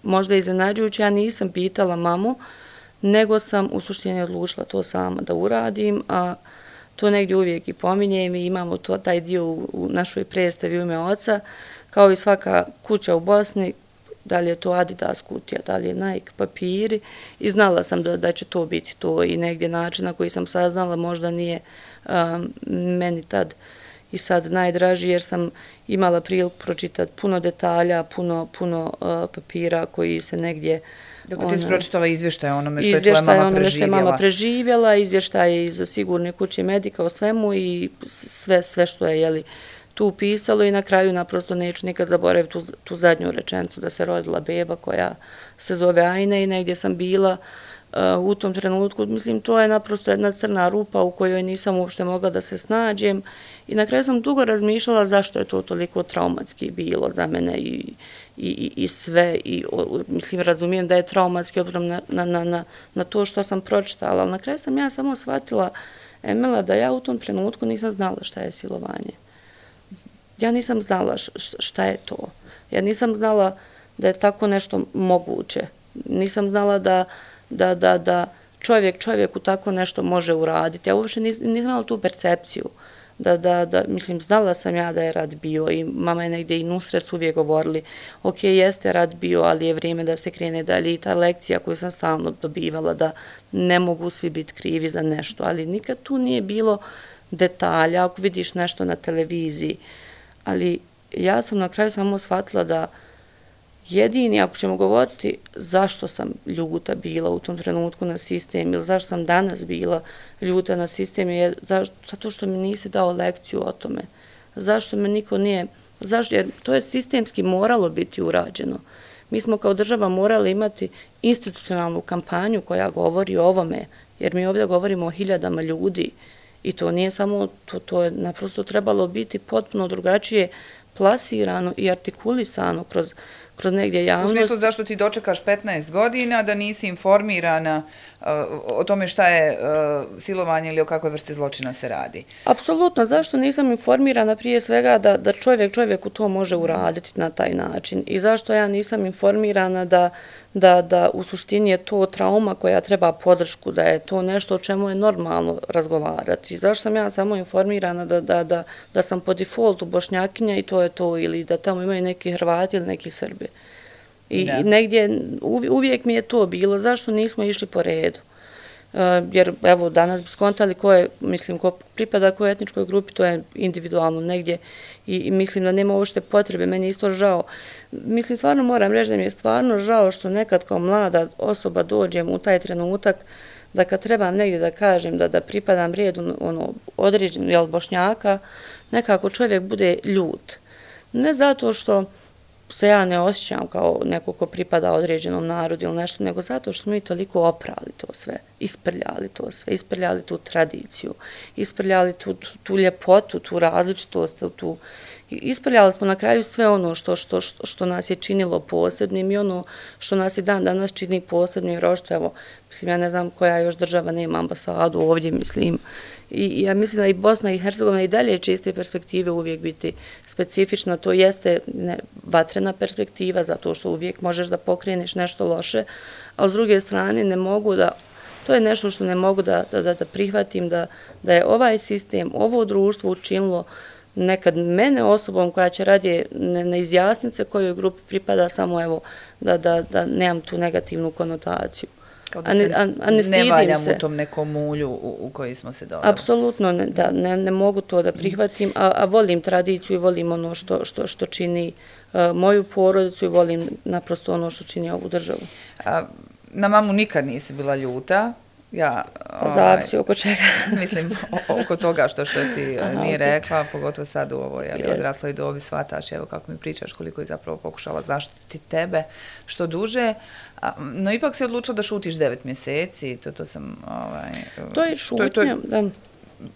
možda iznenađujući, ja nisam pitala mamu, nego sam u suštini odlučila to sama da uradim, a to negdje uvijek i pominjem i imamo to, taj dio u, u našoj predstavi u ime oca, kao i svaka kuća u Bosni, da li je to Adidas kutija, da li je Nike papiri i znala sam da, da će to biti to i negdje način na koji sam saznala možda nije um, meni tad i sad najdraži jer sam imala priliku pročitati puno detalja, puno, puno uh, papira koji se negdje Dakle, ti si pročitala izvještaje onome što je tvoja izvještaje mama onome što je preživjela. mama preživjela, izvještaje iz Sigurne kuće medika o svemu i sve, sve što je jeli, tu pisalo i na kraju naprosto neću nikad zaboraviti tu, tu zadnju rečenicu da se rodila beba koja se zove Ajna i negdje sam bila uh, u tom trenutku. Mislim, to je naprosto jedna crna rupa u kojoj nisam uopšte mogla da se snađem i na kraju sam dugo razmišljala zašto je to toliko traumatski bilo za mene i I, i sve, i o, mislim, razumijem da je traumatski obzirom na, na, na, na to što sam pročitala, ali na kraju sam ja samo shvatila, Emela, da ja u tom trenutku nisam znala šta je silovanje. Ja nisam znala šta je to. Ja nisam znala da je tako nešto moguće. Nisam znala da, da, da, da čovjek čovjeku tako nešto može uraditi. Ja uopšte nisam imala tu percepciju. Da, da, da, mislim, znala sam ja da je rat bio i mama je negdje i Nusret uvijek govorili, ok, jeste rat bio, ali je vrijeme da se krene dalje i ta lekcija koju sam stalno dobivala da ne mogu svi biti krivi za nešto, ali nikad tu nije bilo detalja, ako vidiš nešto na televiziji, ali ja sam na kraju samo shvatila da jedini, ako ćemo govoriti zašto sam ljuta bila u tom trenutku na sistem ili zašto sam danas bila ljuta na sistem je zašto, zato što mi nisi dao lekciju o tome. Zašto me niko nije, zašto, jer to je sistemski moralo biti urađeno. Mi smo kao država morali imati institucionalnu kampanju koja govori o ovome, jer mi ovdje govorimo o hiljadama ljudi i to nije samo, to, to je naprosto trebalo biti potpuno drugačije plasirano i artikulisano kroz kroz negdje javnost. U smislu zašto ti dočekaš petnaest godina, da nisi informirana o tome šta je silovanje ili o kakvoj vrsti zločina se radi. Apsolutno, zašto nisam informirana prije svega da, da čovjek čovjeku to može uraditi na taj način i zašto ja nisam informirana da, da, da u suštini je to trauma koja treba podršku, da je to nešto o čemu je normalno razgovarati. Zašto sam ja samo informirana da, da, da, da sam po defaultu Bošnjakinja i to je to, ili da tamo imaju neki Hrvati ili neki Srbi. I da. negdje uvijek mi je to bilo, zašto nismo išli po redu. Uh, jer evo danas bi skontali ko je, mislim, ko pripada kojoj etničkoj grupi, to je individualno negdje i, i mislim da nema uopšte potrebe, meni je isto žao. Mislim, stvarno moram reći da mi je stvarno žao što nekad kao mlada osoba dođem u taj trenutak da kad trebam negdje da kažem da, da pripadam redu ono, određenog jel, Bošnjaka, nekako čovjek bude ljut. Ne zato što se ja ne osjećam kao neko ko pripada određenom narodu ili nešto, nego zato što smo mi toliko oprali to sve, isprljali to sve, isprljali tu tradiciju, isprljali tu, tu, tu ljepotu, tu različitost, tu, isprljali smo na kraju sve ono što, što, što, što nas je činilo posebnim i ono što nas i dan danas čini posebnim, jer što evo, mislim, ja ne znam koja još država nema ambasadu ovdje, mislim, i ja mislim da i Bosna i Hercegovina i dalje će iz te perspektive uvijek biti specifična, to jeste ne, vatrena perspektiva, zato što uvijek možeš da pokreneš nešto loše, a s druge strane ne mogu da, to je nešto što ne mogu da, da, da prihvatim, da, da je ovaj sistem, ovo društvo učinilo nekad mene osobom koja će radije ne, ne izjasniti se kojoj grupi pripada, samo evo da, da, da nemam tu negativnu konotaciju. Kao da se a ne, a ne, ne valjam se u tom nekom mulju u, u koji smo se dodali. Apsolutno, ne, da, ne, ne mogu to da prihvatim, a, a volim tradiciju i volim ono što, što, što čini uh, moju porodicu i volim naprosto ono što čini ovu državu. A, na mamu nikad nisi bila ljuta? Ja, ovaj, zavisi oko čega. Mislim, oko toga što što ti Aha, nije okay. rekla, pogotovo sad u ovoj yes. odrasloj dobi shvataš, evo kako mi pričaš, koliko je zapravo pokušala zaštiti tebe što duže. No ipak si odlučila da šutiš devet mjeseci, to, to sam... Ovaj, to je šutnja, to je, to je da.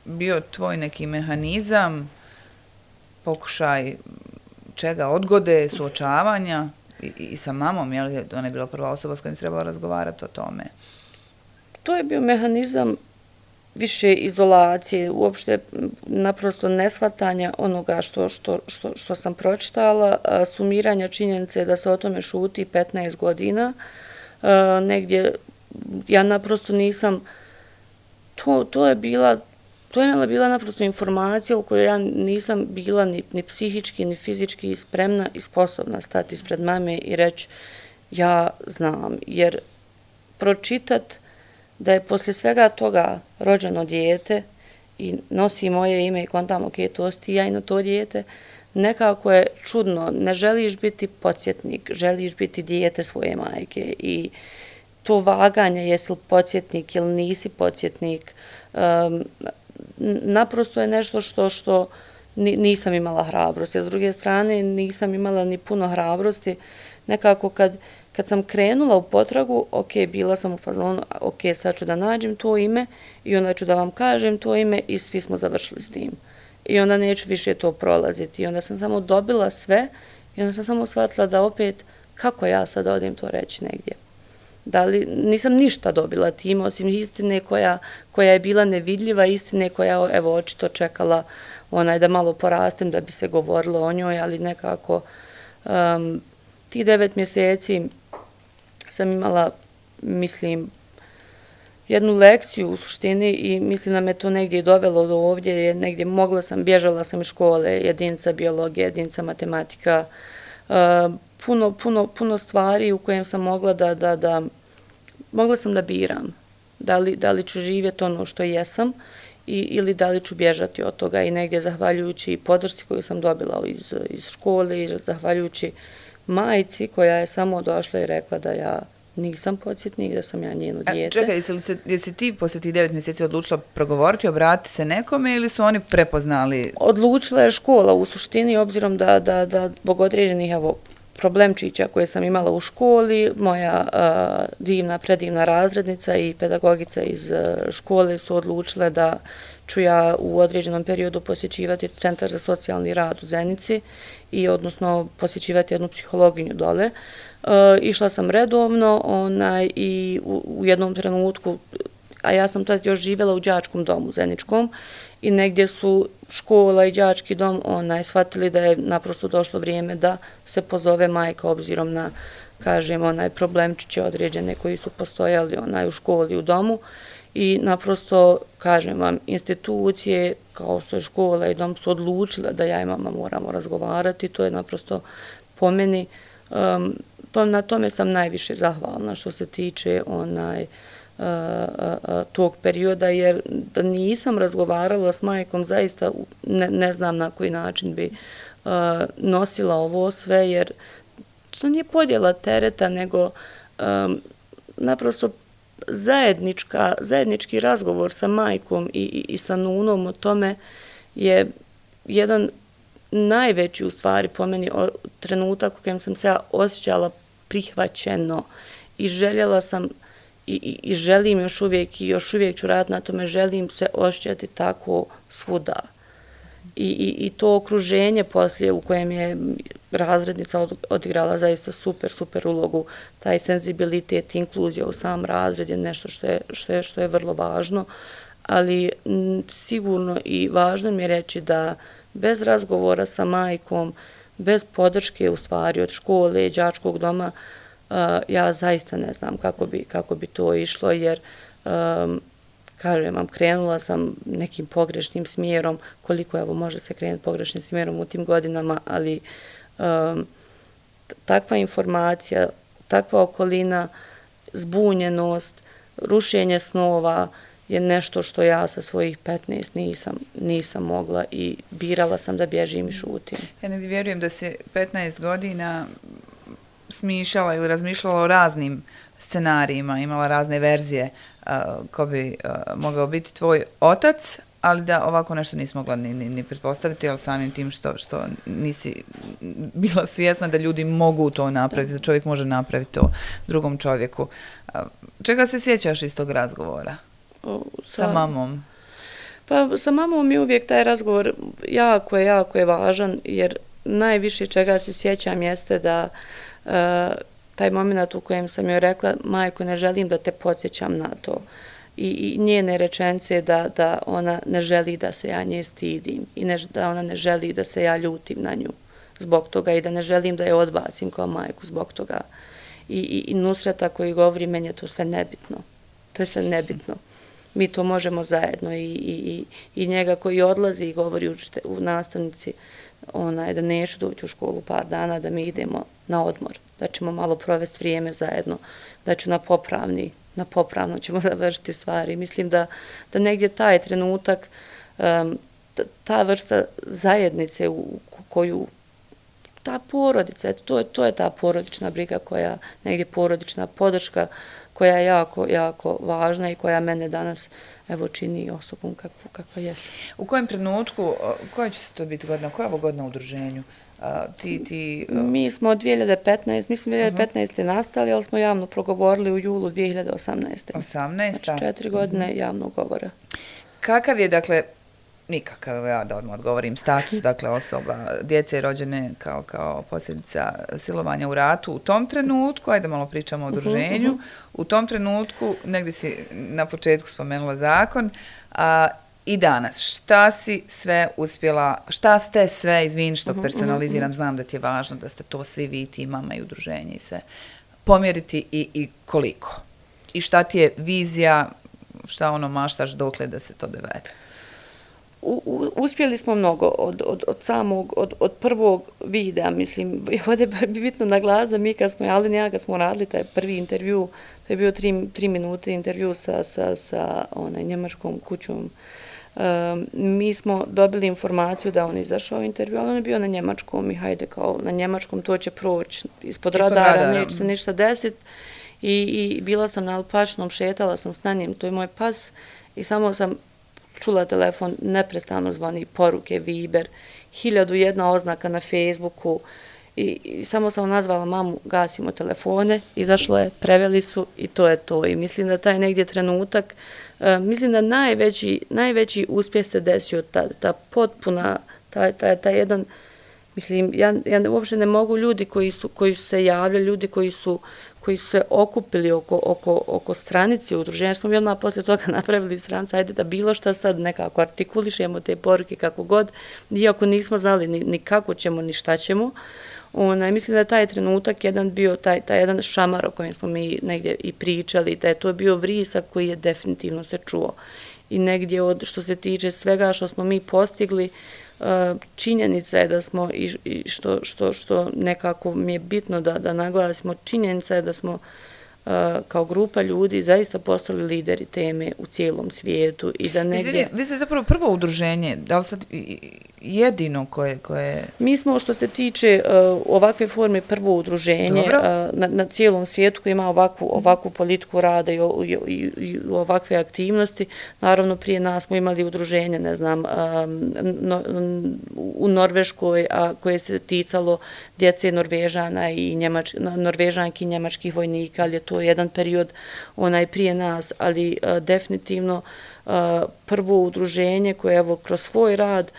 Bio tvoj neki mehanizam, pokušaj čega, odgode, suočavanja i, i sa mamom, je li ona je bila prva osoba s kojim se trebala razgovarati o tome? To je bio mehanizam više izolacije, uopšte naprosto neshvatanja onoga što, što, što, što sam pročitala, sumiranja činjenice da se o tome šuti petnaest godina. Negdje ja naprosto nisam, to, to je bila, to je bila naprosto informacija u kojoj ja nisam bila ni, ni psihički, ni fizički spremna i sposobna stati ispred mame i reći ja znam, jer pročitat da je poslije svega toga rođeno dijete i nosi moje ime i kontam, ok, to si ti ja i na to dijete, nekako je čudno, ne želiš biti podsjetnik, želiš biti dijete svoje majke i to vaganje, jesi li podsjetnik ili nisi podsjetnik, um, naprosto je nešto što, što nisam imala hrabrosti. S druge strane, nisam imala ni puno hrabrosti, nekako kad Kad sam krenula u potragu, ok, bila sam u fazonu, ok, sad ću da nađem to ime i onda ću da vam kažem to ime i svi smo završili s tim. I onda neću više to prolaziti. I onda sam samo dobila sve i onda sam samo shvatila da opet, kako ja sad odim to reći negdje. Da li, nisam ništa dobila tim, osim istine koja, koja je bila nevidljiva, istine koja, evo, očito čekala onaj da malo porastem da bi se govorilo o njoj, ali nekako um, tih devet mjeseci sam imala, mislim, jednu lekciju u suštini i mislim da me to negdje dovelo do ovdje, jer negdje mogla sam, bježala sam iz škole, jedinica biologije, jedinica matematika, uh, puno, puno, puno stvari u kojem sam mogla da, da, da, mogla sam da biram, da li, da li ću živjeti ono što jesam i, ili da li ću bježati od toga i negdje zahvaljujući podršci koju sam dobila iz, iz škole i zahvaljujući majci koja je samo došla i rekla da ja nisam podsjetnik, da sam ja njeno dijete. A čekaj, jesi, se, jesi ti poslije tih devet mjeseci odlučila progovoriti, obratiti se nekome ili su oni prepoznali? Odlučila je škola u suštini, obzirom da, da, da zbog određenih evo, problemčića koje sam imala u školi, moja a, divna, predivna razrednica i pedagogica iz a, škole su odlučile da ću ja u određenom periodu posjećivati Centar za socijalni rad u Zenici i odnosno posjećivati jednu psihologinju dole. išla sam redovno onaj, i u, u jednom trenutku, a ja sam tad još živjela u đačkom domu Zeničkom i negdje su škola i đački dom onaj, shvatili da je naprosto došlo vrijeme da se pozove majka obzirom na, kažem, onaj problemčiće određene koji su postojali onaj, u školi, u domu. I naprosto, kažem vam, institucije kao što je škola i dom su odlučile da ja i mama moramo razgovarati. To je naprosto po meni, um, to, na tome sam najviše zahvalna što se tiče onaj, uh, uh, tog perioda, jer da nisam razgovarala s majkom, zaista ne, ne znam na koji način bi uh, nosila ovo sve, jer to nije podjela tereta, nego um, naprosto zajednička, zajednički razgovor sa majkom i, i, i sa nunom o tome je jedan najveći u stvari po meni trenutak u kojem sam se ja osjećala prihvaćeno i željela sam i, i, i želim još uvijek i još uvijek ću raditi na tome, želim se osjećati tako svuda. I, i, i to okruženje poslije u kojem je razrednica odigrala zaista super, super ulogu, taj senzibilitet, inkluzija u sam razred je nešto što je, što je, što je vrlo važno, ali m, sigurno i važno mi je reći da bez razgovora sa majkom, bez podrške u stvari od škole i đačkog doma, uh, ja zaista ne znam kako bi, kako bi to išlo, jer um, kažem vam, krenula sam nekim pogrešnim smjerom, koliko evo može se krenuti pogrešnim smjerom u tim godinama, ali um, takva informacija, takva okolina, zbunjenost, rušenje snova je nešto što ja sa svojih petnaest nisam, nisam mogla i birala sam da bježim i šutim. Ja negdje vjerujem da se petnaest godina smišljala ili razmišljala o raznim scenarijima, imala razne verzije uh, ko bi uh, mogao biti tvoj otac, ali da ovako nešto nisi mogla ni, ni, ni pretpostaviti, ali samim tim što, što nisi bila svjesna da ljudi mogu to napraviti, da čovjek može napraviti to drugom čovjeku. Uh, čega se sjećaš iz tog razgovora O, sa, sa mamom? Pa sa mamom je uvijek taj razgovor jako je, jako je važan, jer najviše čega se sjećam jeste da uh, taj moment u kojem sam joj rekla, majko, ne želim da te podsjećam na to. I, i njene rečence da, da ona ne želi da se ja nje stidim i ne, da ona ne želi da se ja ljutim na nju zbog toga i da ne želim da je odbacim kao majku zbog toga. I, i, i Nusreta koji govori, meni je to sve nebitno. To je sve nebitno. Mi to možemo zajedno i, i, i njega koji odlazi i govori učite, u nastavnici onaj, da neću doći u školu par dana, da mi idemo na odmor, da ćemo malo provesti vrijeme zajedno, da ću na popravni, na popravno ćemo završiti stvari. Mislim da, da negdje taj trenutak, um, ta vrsta zajednice u koju ta porodica, to je, to je ta porodična briga koja, negdje porodična podrška koja je jako, jako važna i koja mene danas evo čini osobom kakvu, kakva jesam. U kojem trenutku, koja će se to biti godina, koja je ovo godina u udruženju? A, ti, ti, uh... Mi smo od dvije hiljade petnaeste, mi smo dvije hiljade petnaeste uh-huh. nastali, ali smo javno progovorili u julu dvije hiljade osamnaeste. osamnaeste Znači četiri godine uh-huh. javnog govora. Kakav je, dakle, nikakav, ja da odmah odgovorim, status, dakle, osoba, djece rođene kao, kao posljedica silovanja u ratu u tom trenutku, ajde malo pričamo o udruženju, uh-huh. u tom trenutku, negdje si na početku spomenula zakon, a i danas, šta si sve uspjela, šta ste sve, izvini što personaliziram, znam da ti je važno da ste to svi vi, ti, mama i udruženje i sve, pomjeriti i, i koliko? I šta ti je vizija, šta ono maštaš dokle da se to dovede? U, u, uspjeli smo mnogo od, od, od samog, od, od prvog videa, mislim, ovdje bi bitno naglas da mi kad smo, Alin i ja kad smo radili taj prvi intervju, to je bio tri, tri minute intervju sa, sa, sa onaj, njemačkom kućom, um, mi smo dobili informaciju da on izašao intervju, ali on je bio na njemačkom i hajde kao na njemačkom to će proći ispod, ispod radara, radara, neće se ništa desiti i, i bila sam na Alpačnom, šetala sam s na njim, to je moj pas i samo sam čula telefon, neprestano zvoni poruke, Viber, hiljadu jedna oznaka na Facebooku i, i samo sam nazvala mamu, gasimo telefone, izašlo je, preveli su i to je to. I mislim da taj negdje trenutak, uh, mislim da najveći, najveći uspjeh se desio ta, ta potpuna, taj, taj, taj jedan Mislim, ja, ja uopšte ne mogu ljudi koji su, koji su se javljali, ljudi koji su, koji su se okupili oko, oko, oko stranice udruženja, smo mi odmah poslije toga napravili stranicu, ajde da bilo šta sad nekako artikulišemo te poruke kako god, iako nismo znali ni, ni kako ćemo, ni šta ćemo. Onaj, mislim da je taj trenutak jedan bio, taj, taj jedan šamar o kojem smo mi negdje i pričali, da je to bio vrisak koji je definitivno se čuo. I negdje od što se tiče svega što smo mi postigli, činjenica je da smo, i što, što, što nekako mi je bitno da, da naglasimo, činjenica je da smo kao grupa ljudi zaista postali lideri teme u cijelom svijetu i da negdje... Izvini, vi ste zapravo prvo udruženje, da li sad jedino koje... koje... Mi smo što se tiče uh, ovakve forme prvo udruženje uh, na, na cijelom svijetu koji ima ovakvu, ovakvu politiku rada i, i, i, i ovakve aktivnosti. Naravno, prije nas smo imali udruženje, ne znam, um, no, u Norveškoj, a koje se ticalo djece Norvežana i Njemač, Norvežanki i njemačkih vojnika, ali je to jedan period onaj prije nas, ali uh, definitivno uh, prvo udruženje koje evo kroz svoj rad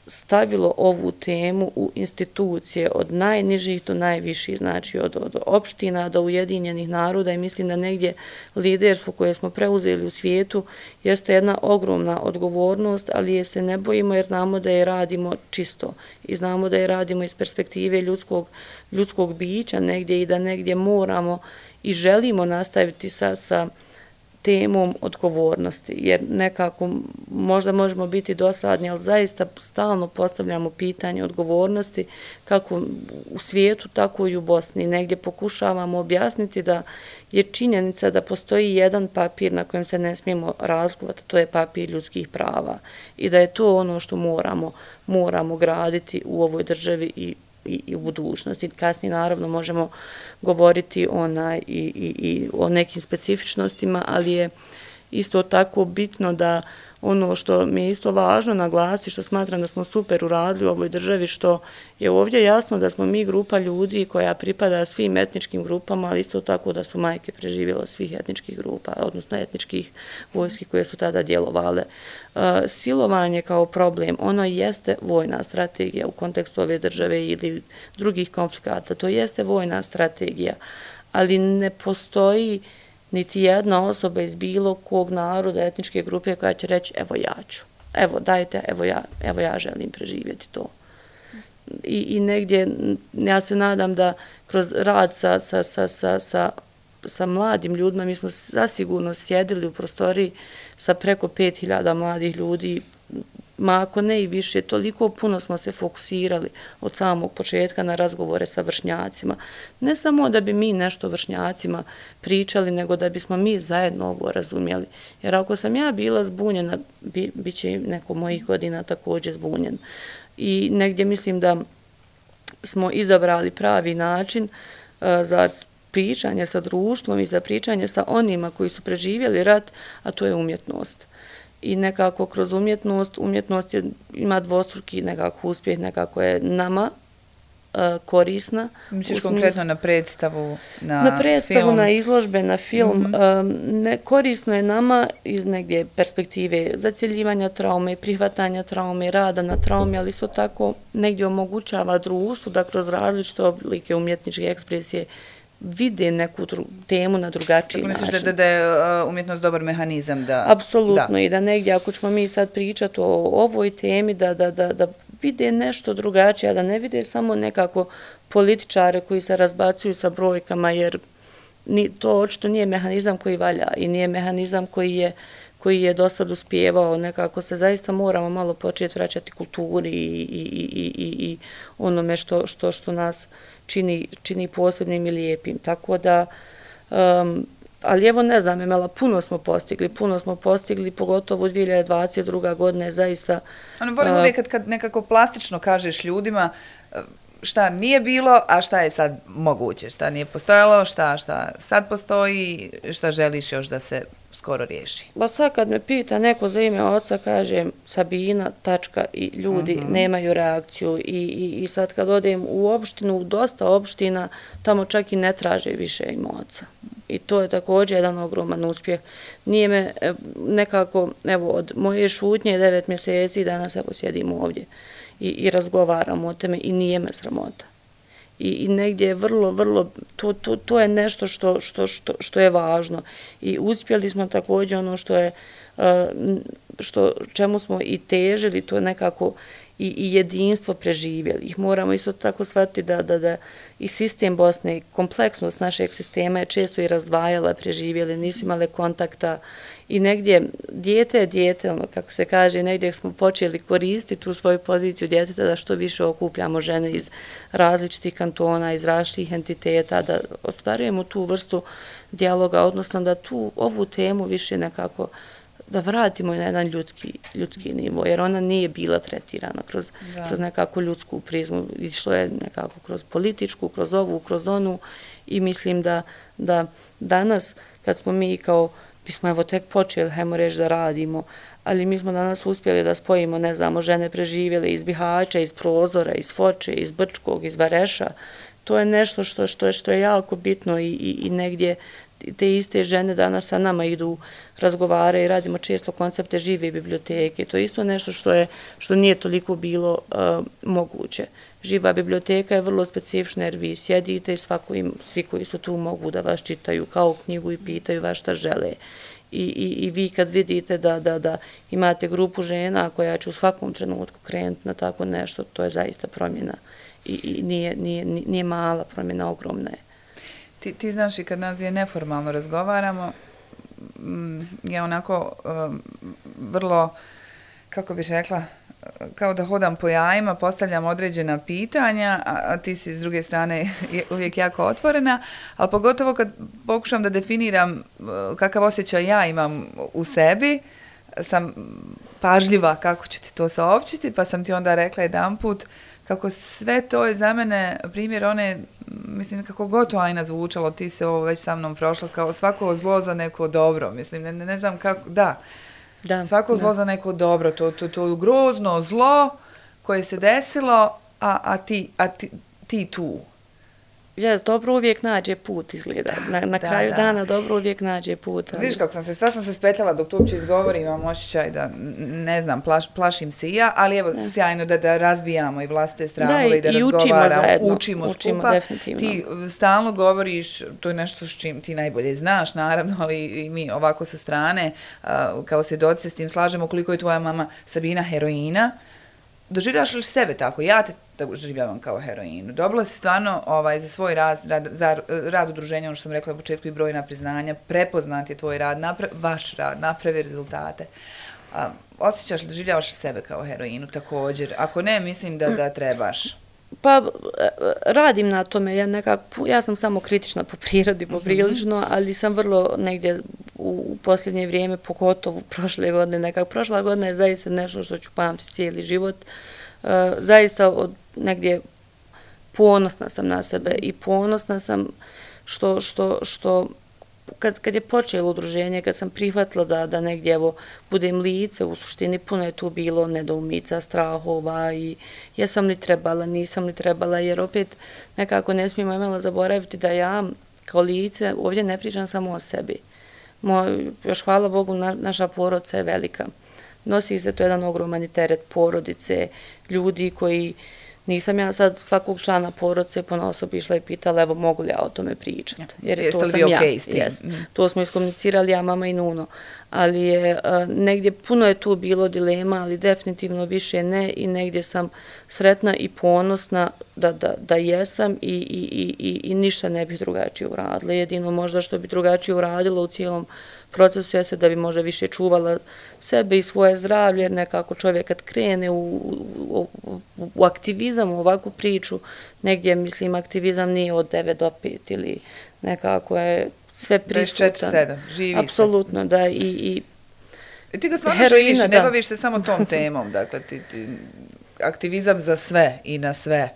stavilo ovu temu u institucije od najnižih do najviših, znači od, od opština do Ujedinjenih naroda i mislim da negdje liderstvo koje smo preuzeli u svijetu jeste jedna ogromna odgovornost, ali je se ne bojimo jer znamo da je radimo čisto i znamo da je radimo iz perspektive ljudskog, ljudskog bića negdje i da negdje moramo i želimo nastaviti sa, sa temom odgovornosti, jer nekako možda možemo biti dosadni, ali zaista stalno postavljamo pitanje odgovornosti kako u svijetu, tako i u Bosni. Negdje pokušavamo objasniti da je činjenica da postoji jedan papir na kojem se ne smijemo razlikovati, to je papir ljudskih prava i da je to ono što moramo, moramo graditi u ovoj državi i I, i u budućnosti. Kasnije naravno možemo govoriti onaj, i, i, i o nekim specifičnostima, ali je isto tako bitno da ono što mi je isto važno naglasiti, što smatram da smo super uradili u ovoj državi, što je ovdje jasno da smo mi grupa ljudi koja pripada svim etničkim grupama, ali isto tako da su majke preživjela svih etničkih grupa, odnosno etničkih vojski koje su tada djelovale. Silovanje kao problem, ono jeste vojna strategija u kontekstu ove države ili drugih konflikata, to jeste vojna strategija, ali ne postoji niti jedna osoba iz bilo kog naroda, etničke grupe koja će reći evo ja ću, evo dajte, evo ja, evo ja želim preživjeti to. I, i negdje ja se nadam da kroz rad sa, sa, sa, sa, sa, sa mladim ljudima, mi smo zasigurno sjedili u prostoriji sa preko pet hiljada mladih ljudi, ma ako ne i više, toliko puno smo se fokusirali od samog početka na razgovore sa vršnjacima. Ne samo da bi mi nešto vršnjacima pričali, nego da bismo mi zajedno ovo razumjeli. Jer ako sam ja bila zbunjena, bi, bit će neko mojih godina također zbunjen. I negdje mislim da smo izabrali pravi način uh, za pričanje sa društvom i za pričanje sa onima koji su preživjeli rat, a to je umjetnost. I nekako kroz umjetnost, umjetnost je, ima dvostruki nekako uspjeh, nekako je nama uh, korisna. Misliš konkretno na predstavu, na, na predstavu, film? Na izložbe, na film. Mm-hmm. um, ne, korisno je nama iz negdje perspektive zacjeljivanja traume, prihvatanja traume, rada na traume, ali isto tako negdje omogućava društvu da kroz različite oblike umjetničke ekspresije vide neku dru, temu na drugačiji način. Tako misliš da, da je umjetnost dobar mehanizam? Da, Apsolutno da. I da negdje ako ćemo mi sad pričati o ovoj temi da, da, da, da vide nešto drugačije, da ne vide samo nekako političare koji se razbacuju sa brojkama jer ni, to očito nije mehanizam koji valja i nije mehanizam koji je koji je do sad uspjevao, nekako se zaista moramo malo početi vraćati kulturi i, i, i, i, i onome što, što, što nas čini, čini posebnim i lijepim. Tako da, um, ali evo ne znam, Emela, puno smo postigli, puno smo postigli, pogotovo dvije hiljade dvadeset druga godina je zaista... Ono, volim uh, uvijek kad, kad nekako plastično kažeš ljudima šta nije bilo, a šta je sad moguće, šta nije postojalo, šta, šta sad postoji, šta želiš još da se skoro riješi. Ba sad kad me pita neko za ime oca, kažem Sabina, tačka i ljudi uh-huh. nemaju reakciju I, i, i sad kad odem u opštinu, u dosta opština, tamo čak i ne traže više ime oca. I to je također jedan ogroman uspjeh. Nije me nekako, evo, od moje šutnje devet mjeseci danas evo sjedimo ovdje i, i razgovaramo o tome i nije me sramota. I, i negdje je vrlo, vrlo, to, to, to je nešto što, što, što, što je važno. I uspjeli smo također ono što je, što, čemu smo i težili, to je nekako i, i jedinstvo preživjeli. Ih moramo isto tako shvatiti da, da, da i sistem Bosne, kompleksnost našeg sistema je često i razdvajala, preživjeli, nisu imale kontakta i negdje dijete je dijete, ono kako se kaže, negdje smo počeli koristiti tu svoju poziciju djeteta da što više okupljamo žene iz različitih kantona, iz različitih entiteta, da ostvarujemo tu vrstu dijaloga, odnosno da tu ovu temu više nekako da vratimo na jedan ljudski, ljudski nivo, jer ona nije bila tretirana kroz, kroz nekakvu ljudsku prizmu, išlo je nekako kroz političku, kroz ovu, kroz onu i mislim da, da danas kad smo mi kao, bismo evo tek počeli, hajmo reći da radimo, ali mi smo danas uspjeli da spojimo, ne znamo, žene preživjele iz Bihaća, iz Prozora, iz Foče, iz Brčkog, iz Vareša. To je nešto što, što, je, što je jako bitno i, i, i negdje te iste žene danas sa nama idu, razgovare i radimo često koncepte žive biblioteke. To je isto nešto što, je, što nije toliko bilo uh, moguće. Živa biblioteka je vrlo specifična jer vi sjedite i svako im, svi koji su tu mogu da vas čitaju kao knjigu i pitaju vas šta žele. I, i, i vi kad vidite da, da, da imate grupu žena koja će u svakom trenutku krenuti na tako nešto, to je zaista promjena. I, i nije, nije, nije mala promjena, ogromna je. Ti, ti znaš i kad nas dvije neformalno razgovaramo, ja onako um, vrlo, kako bih rekla, kao da hodam po jajima, postavljam određena pitanja, a, a ti si s druge strane uvijek jako otvorena, ali pogotovo kad pokušam da definiram kakav osjećaj ja imam u sebi, sam pažljiva kako ću ti to saopćiti, pa sam ti onda rekla jedan put kako sve to je za mene primjer one, mislim, kako god to Ajna zvučalo, ti se ovo već sa mnom prošlo, kao svako zlo za neko dobro, mislim, ne, ne znam kako, da, da svako da. zlo za neko dobro, to, to, to grozno zlo koje se desilo, a, a, ti, a ti, ti tu. Ja, dobro uvijek nađe put, izgleda. Na, na da, kraju da. dana dobro uvijek nađe put. Ali... Vidiš kako sam se, sva sam se spetljala dok to uopće izgovorim, imam osjećaj da, ne znam, plaš, plašim se i ja, ali evo, da. sjajno da, da razbijamo i vlastite strahove da, i da i razgovaramo, učimo, učimo, učimo skupa. Definitivno. Ti stalno govoriš, to je nešto s čim ti najbolje znaš, naravno, ali i mi ovako sa strane, kao svjedoci se s tim slažemo, koliko je tvoja mama Sabina heroina. Doživljavaš li sebe tako? Ja te doživljavam kao heroinu. Dobila si stvarno ovaj, za svoj rad, rad, za rad udruženja, ono što sam rekla u početku, i brojna priznanja, prepoznat je tvoj rad, napra, vaš rad, napravi rezultate. A, osjećaš li, doživljavaš li sebe kao heroinu također? Ako ne, mislim da, da trebaš. Pa radim na tome, ja, nekako, ja sam samo kritična po prirodi, poprilično, ali sam vrlo negdje u, u posljednje vrijeme, pogotovo prošle godine, nekako prošla godina je zaista nešto što ću pamtiti cijeli život. Uh, zaista od negdje ponosna sam na sebe i ponosna sam što, što, što kad, kad je počelo udruženje, kad sam prihvatila da, da negdje evo, budem lice, u suštini puno je tu bilo nedoumica, strahova i jesam li trebala, nisam li trebala, jer opet nekako ne smijemo imala zaboraviti da ja kao lice ovdje ne pričam samo o sebi. Moj, još hvala Bogu, na, naša porodica je velika. Nosi se to jedan ogroman teret porodice, ljudi koji, nisam ja sad svakog člana porodice ponaosob išla i pitala, evo mogu li ja o tome pričati. Jer Jeste to sam okay ja. Yes. Mm. To smo iskomunicirali, ja, mama i Nuno. Ali je, uh, negdje puno je tu bilo dilema, ali definitivno više ne i negdje sam sretna i ponosna da, da, da jesam i, i, i, i ništa ne bih drugačije uradila. Jedino možda što bi drugačije uradila u cijelom procesu jeste da bi možda više čuvala sebe i svoje zdravlje, jer nekako čovjek kad krene u, u, u, u aktivizam, u ovakvu priču, negdje, mislim, aktivizam nije od devet do pet ili nekako je sve prisutan. dvadeset četiri sedam, živi se. Apsolutno, da, i, i I ti ga stvarno heroina, živiš, ne da. baviš se samo tom temom, dakle, ti, ti, aktivizam za sve i na sve.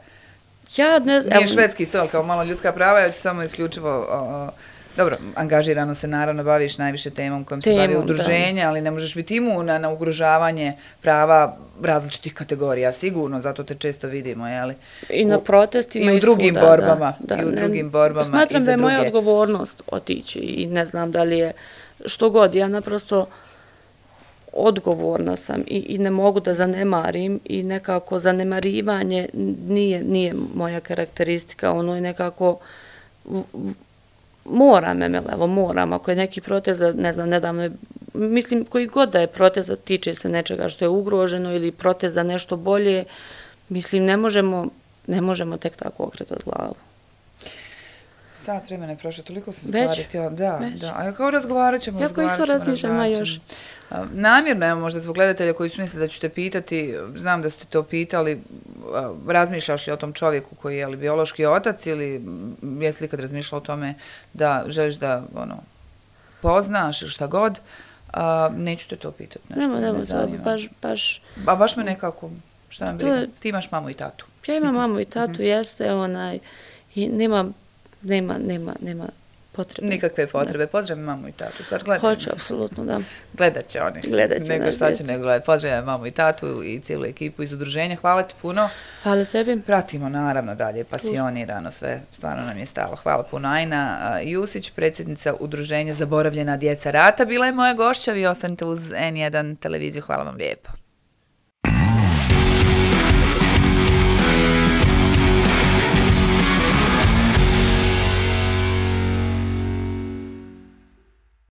Ja ne znam. Nije švedski stol, kao malo ljudska prava, ja ću samo isključivo o, Dobro, angažirano se naravno baviš najviše temom kojom se bavi udruženje, ali ne možeš biti imuna na ugrožavanje prava različitih kategorija, sigurno, zato te često vidimo, jeli? I na protestima i u drugim svuda, borbama, da, da, i u drugim ne, borbama. Smatram i da je druge. moja odgovornost otići i ne znam da li je što god, ja naprosto odgovorna sam i, i ne mogu da zanemarim i nekako zanemarivanje nije, nije moja karakteristika, ono je nekako moram, evo, moram, ako je neki protest, ne znam, nedavno je, mislim, koji god da je protest, tiče se nečega što je ugroženo ili protest za nešto bolje, mislim, ne možemo, ne možemo tek tako okretati glavu. Sat vremena je prošlo, toliko sam Već? stvari htjela. Da, Već? da. A kao razgovarat ćemo, ja razgovarat ćemo. ćemo, razmišljam, još. Namjerno, evo, možda zbog gledatelja koji su mislili da ću te pitati, znam da ste to pitali, razmišljaš li o tom čovjeku koji je li biološki otac ili jesi li kad razmišljala o tome da želiš da, ono, poznaš ili šta god, a, neću te to pitati. Nešto, Nemo, nemo, to baš, baš... A baš me nekako, šta nam briga, ti imaš mamu i tatu. Ja imam mamu i tatu, jeste, onaj, i nema, nema, nema, nema potrebe. Nikakve potrebe, pozdravim mamu i tatu. Sad gledam. Hoće, apsolutno, da. Gledat će oni. Gledat će. Nego šta će nego gledati. Pozdravim mamu i tatu i cijelu ekipu iz udruženja. Hvala ti puno. Hvala tebi. Pratimo naravno dalje, pasionirano sve. Stvarno nam je stalo. Hvala puno. Ajna Jusić, predsjednica udruženja Zaboravljena djeca rata, bila je moja gošća. Vi ostanite uz en jedan televiziju. Hvala vam lijepo.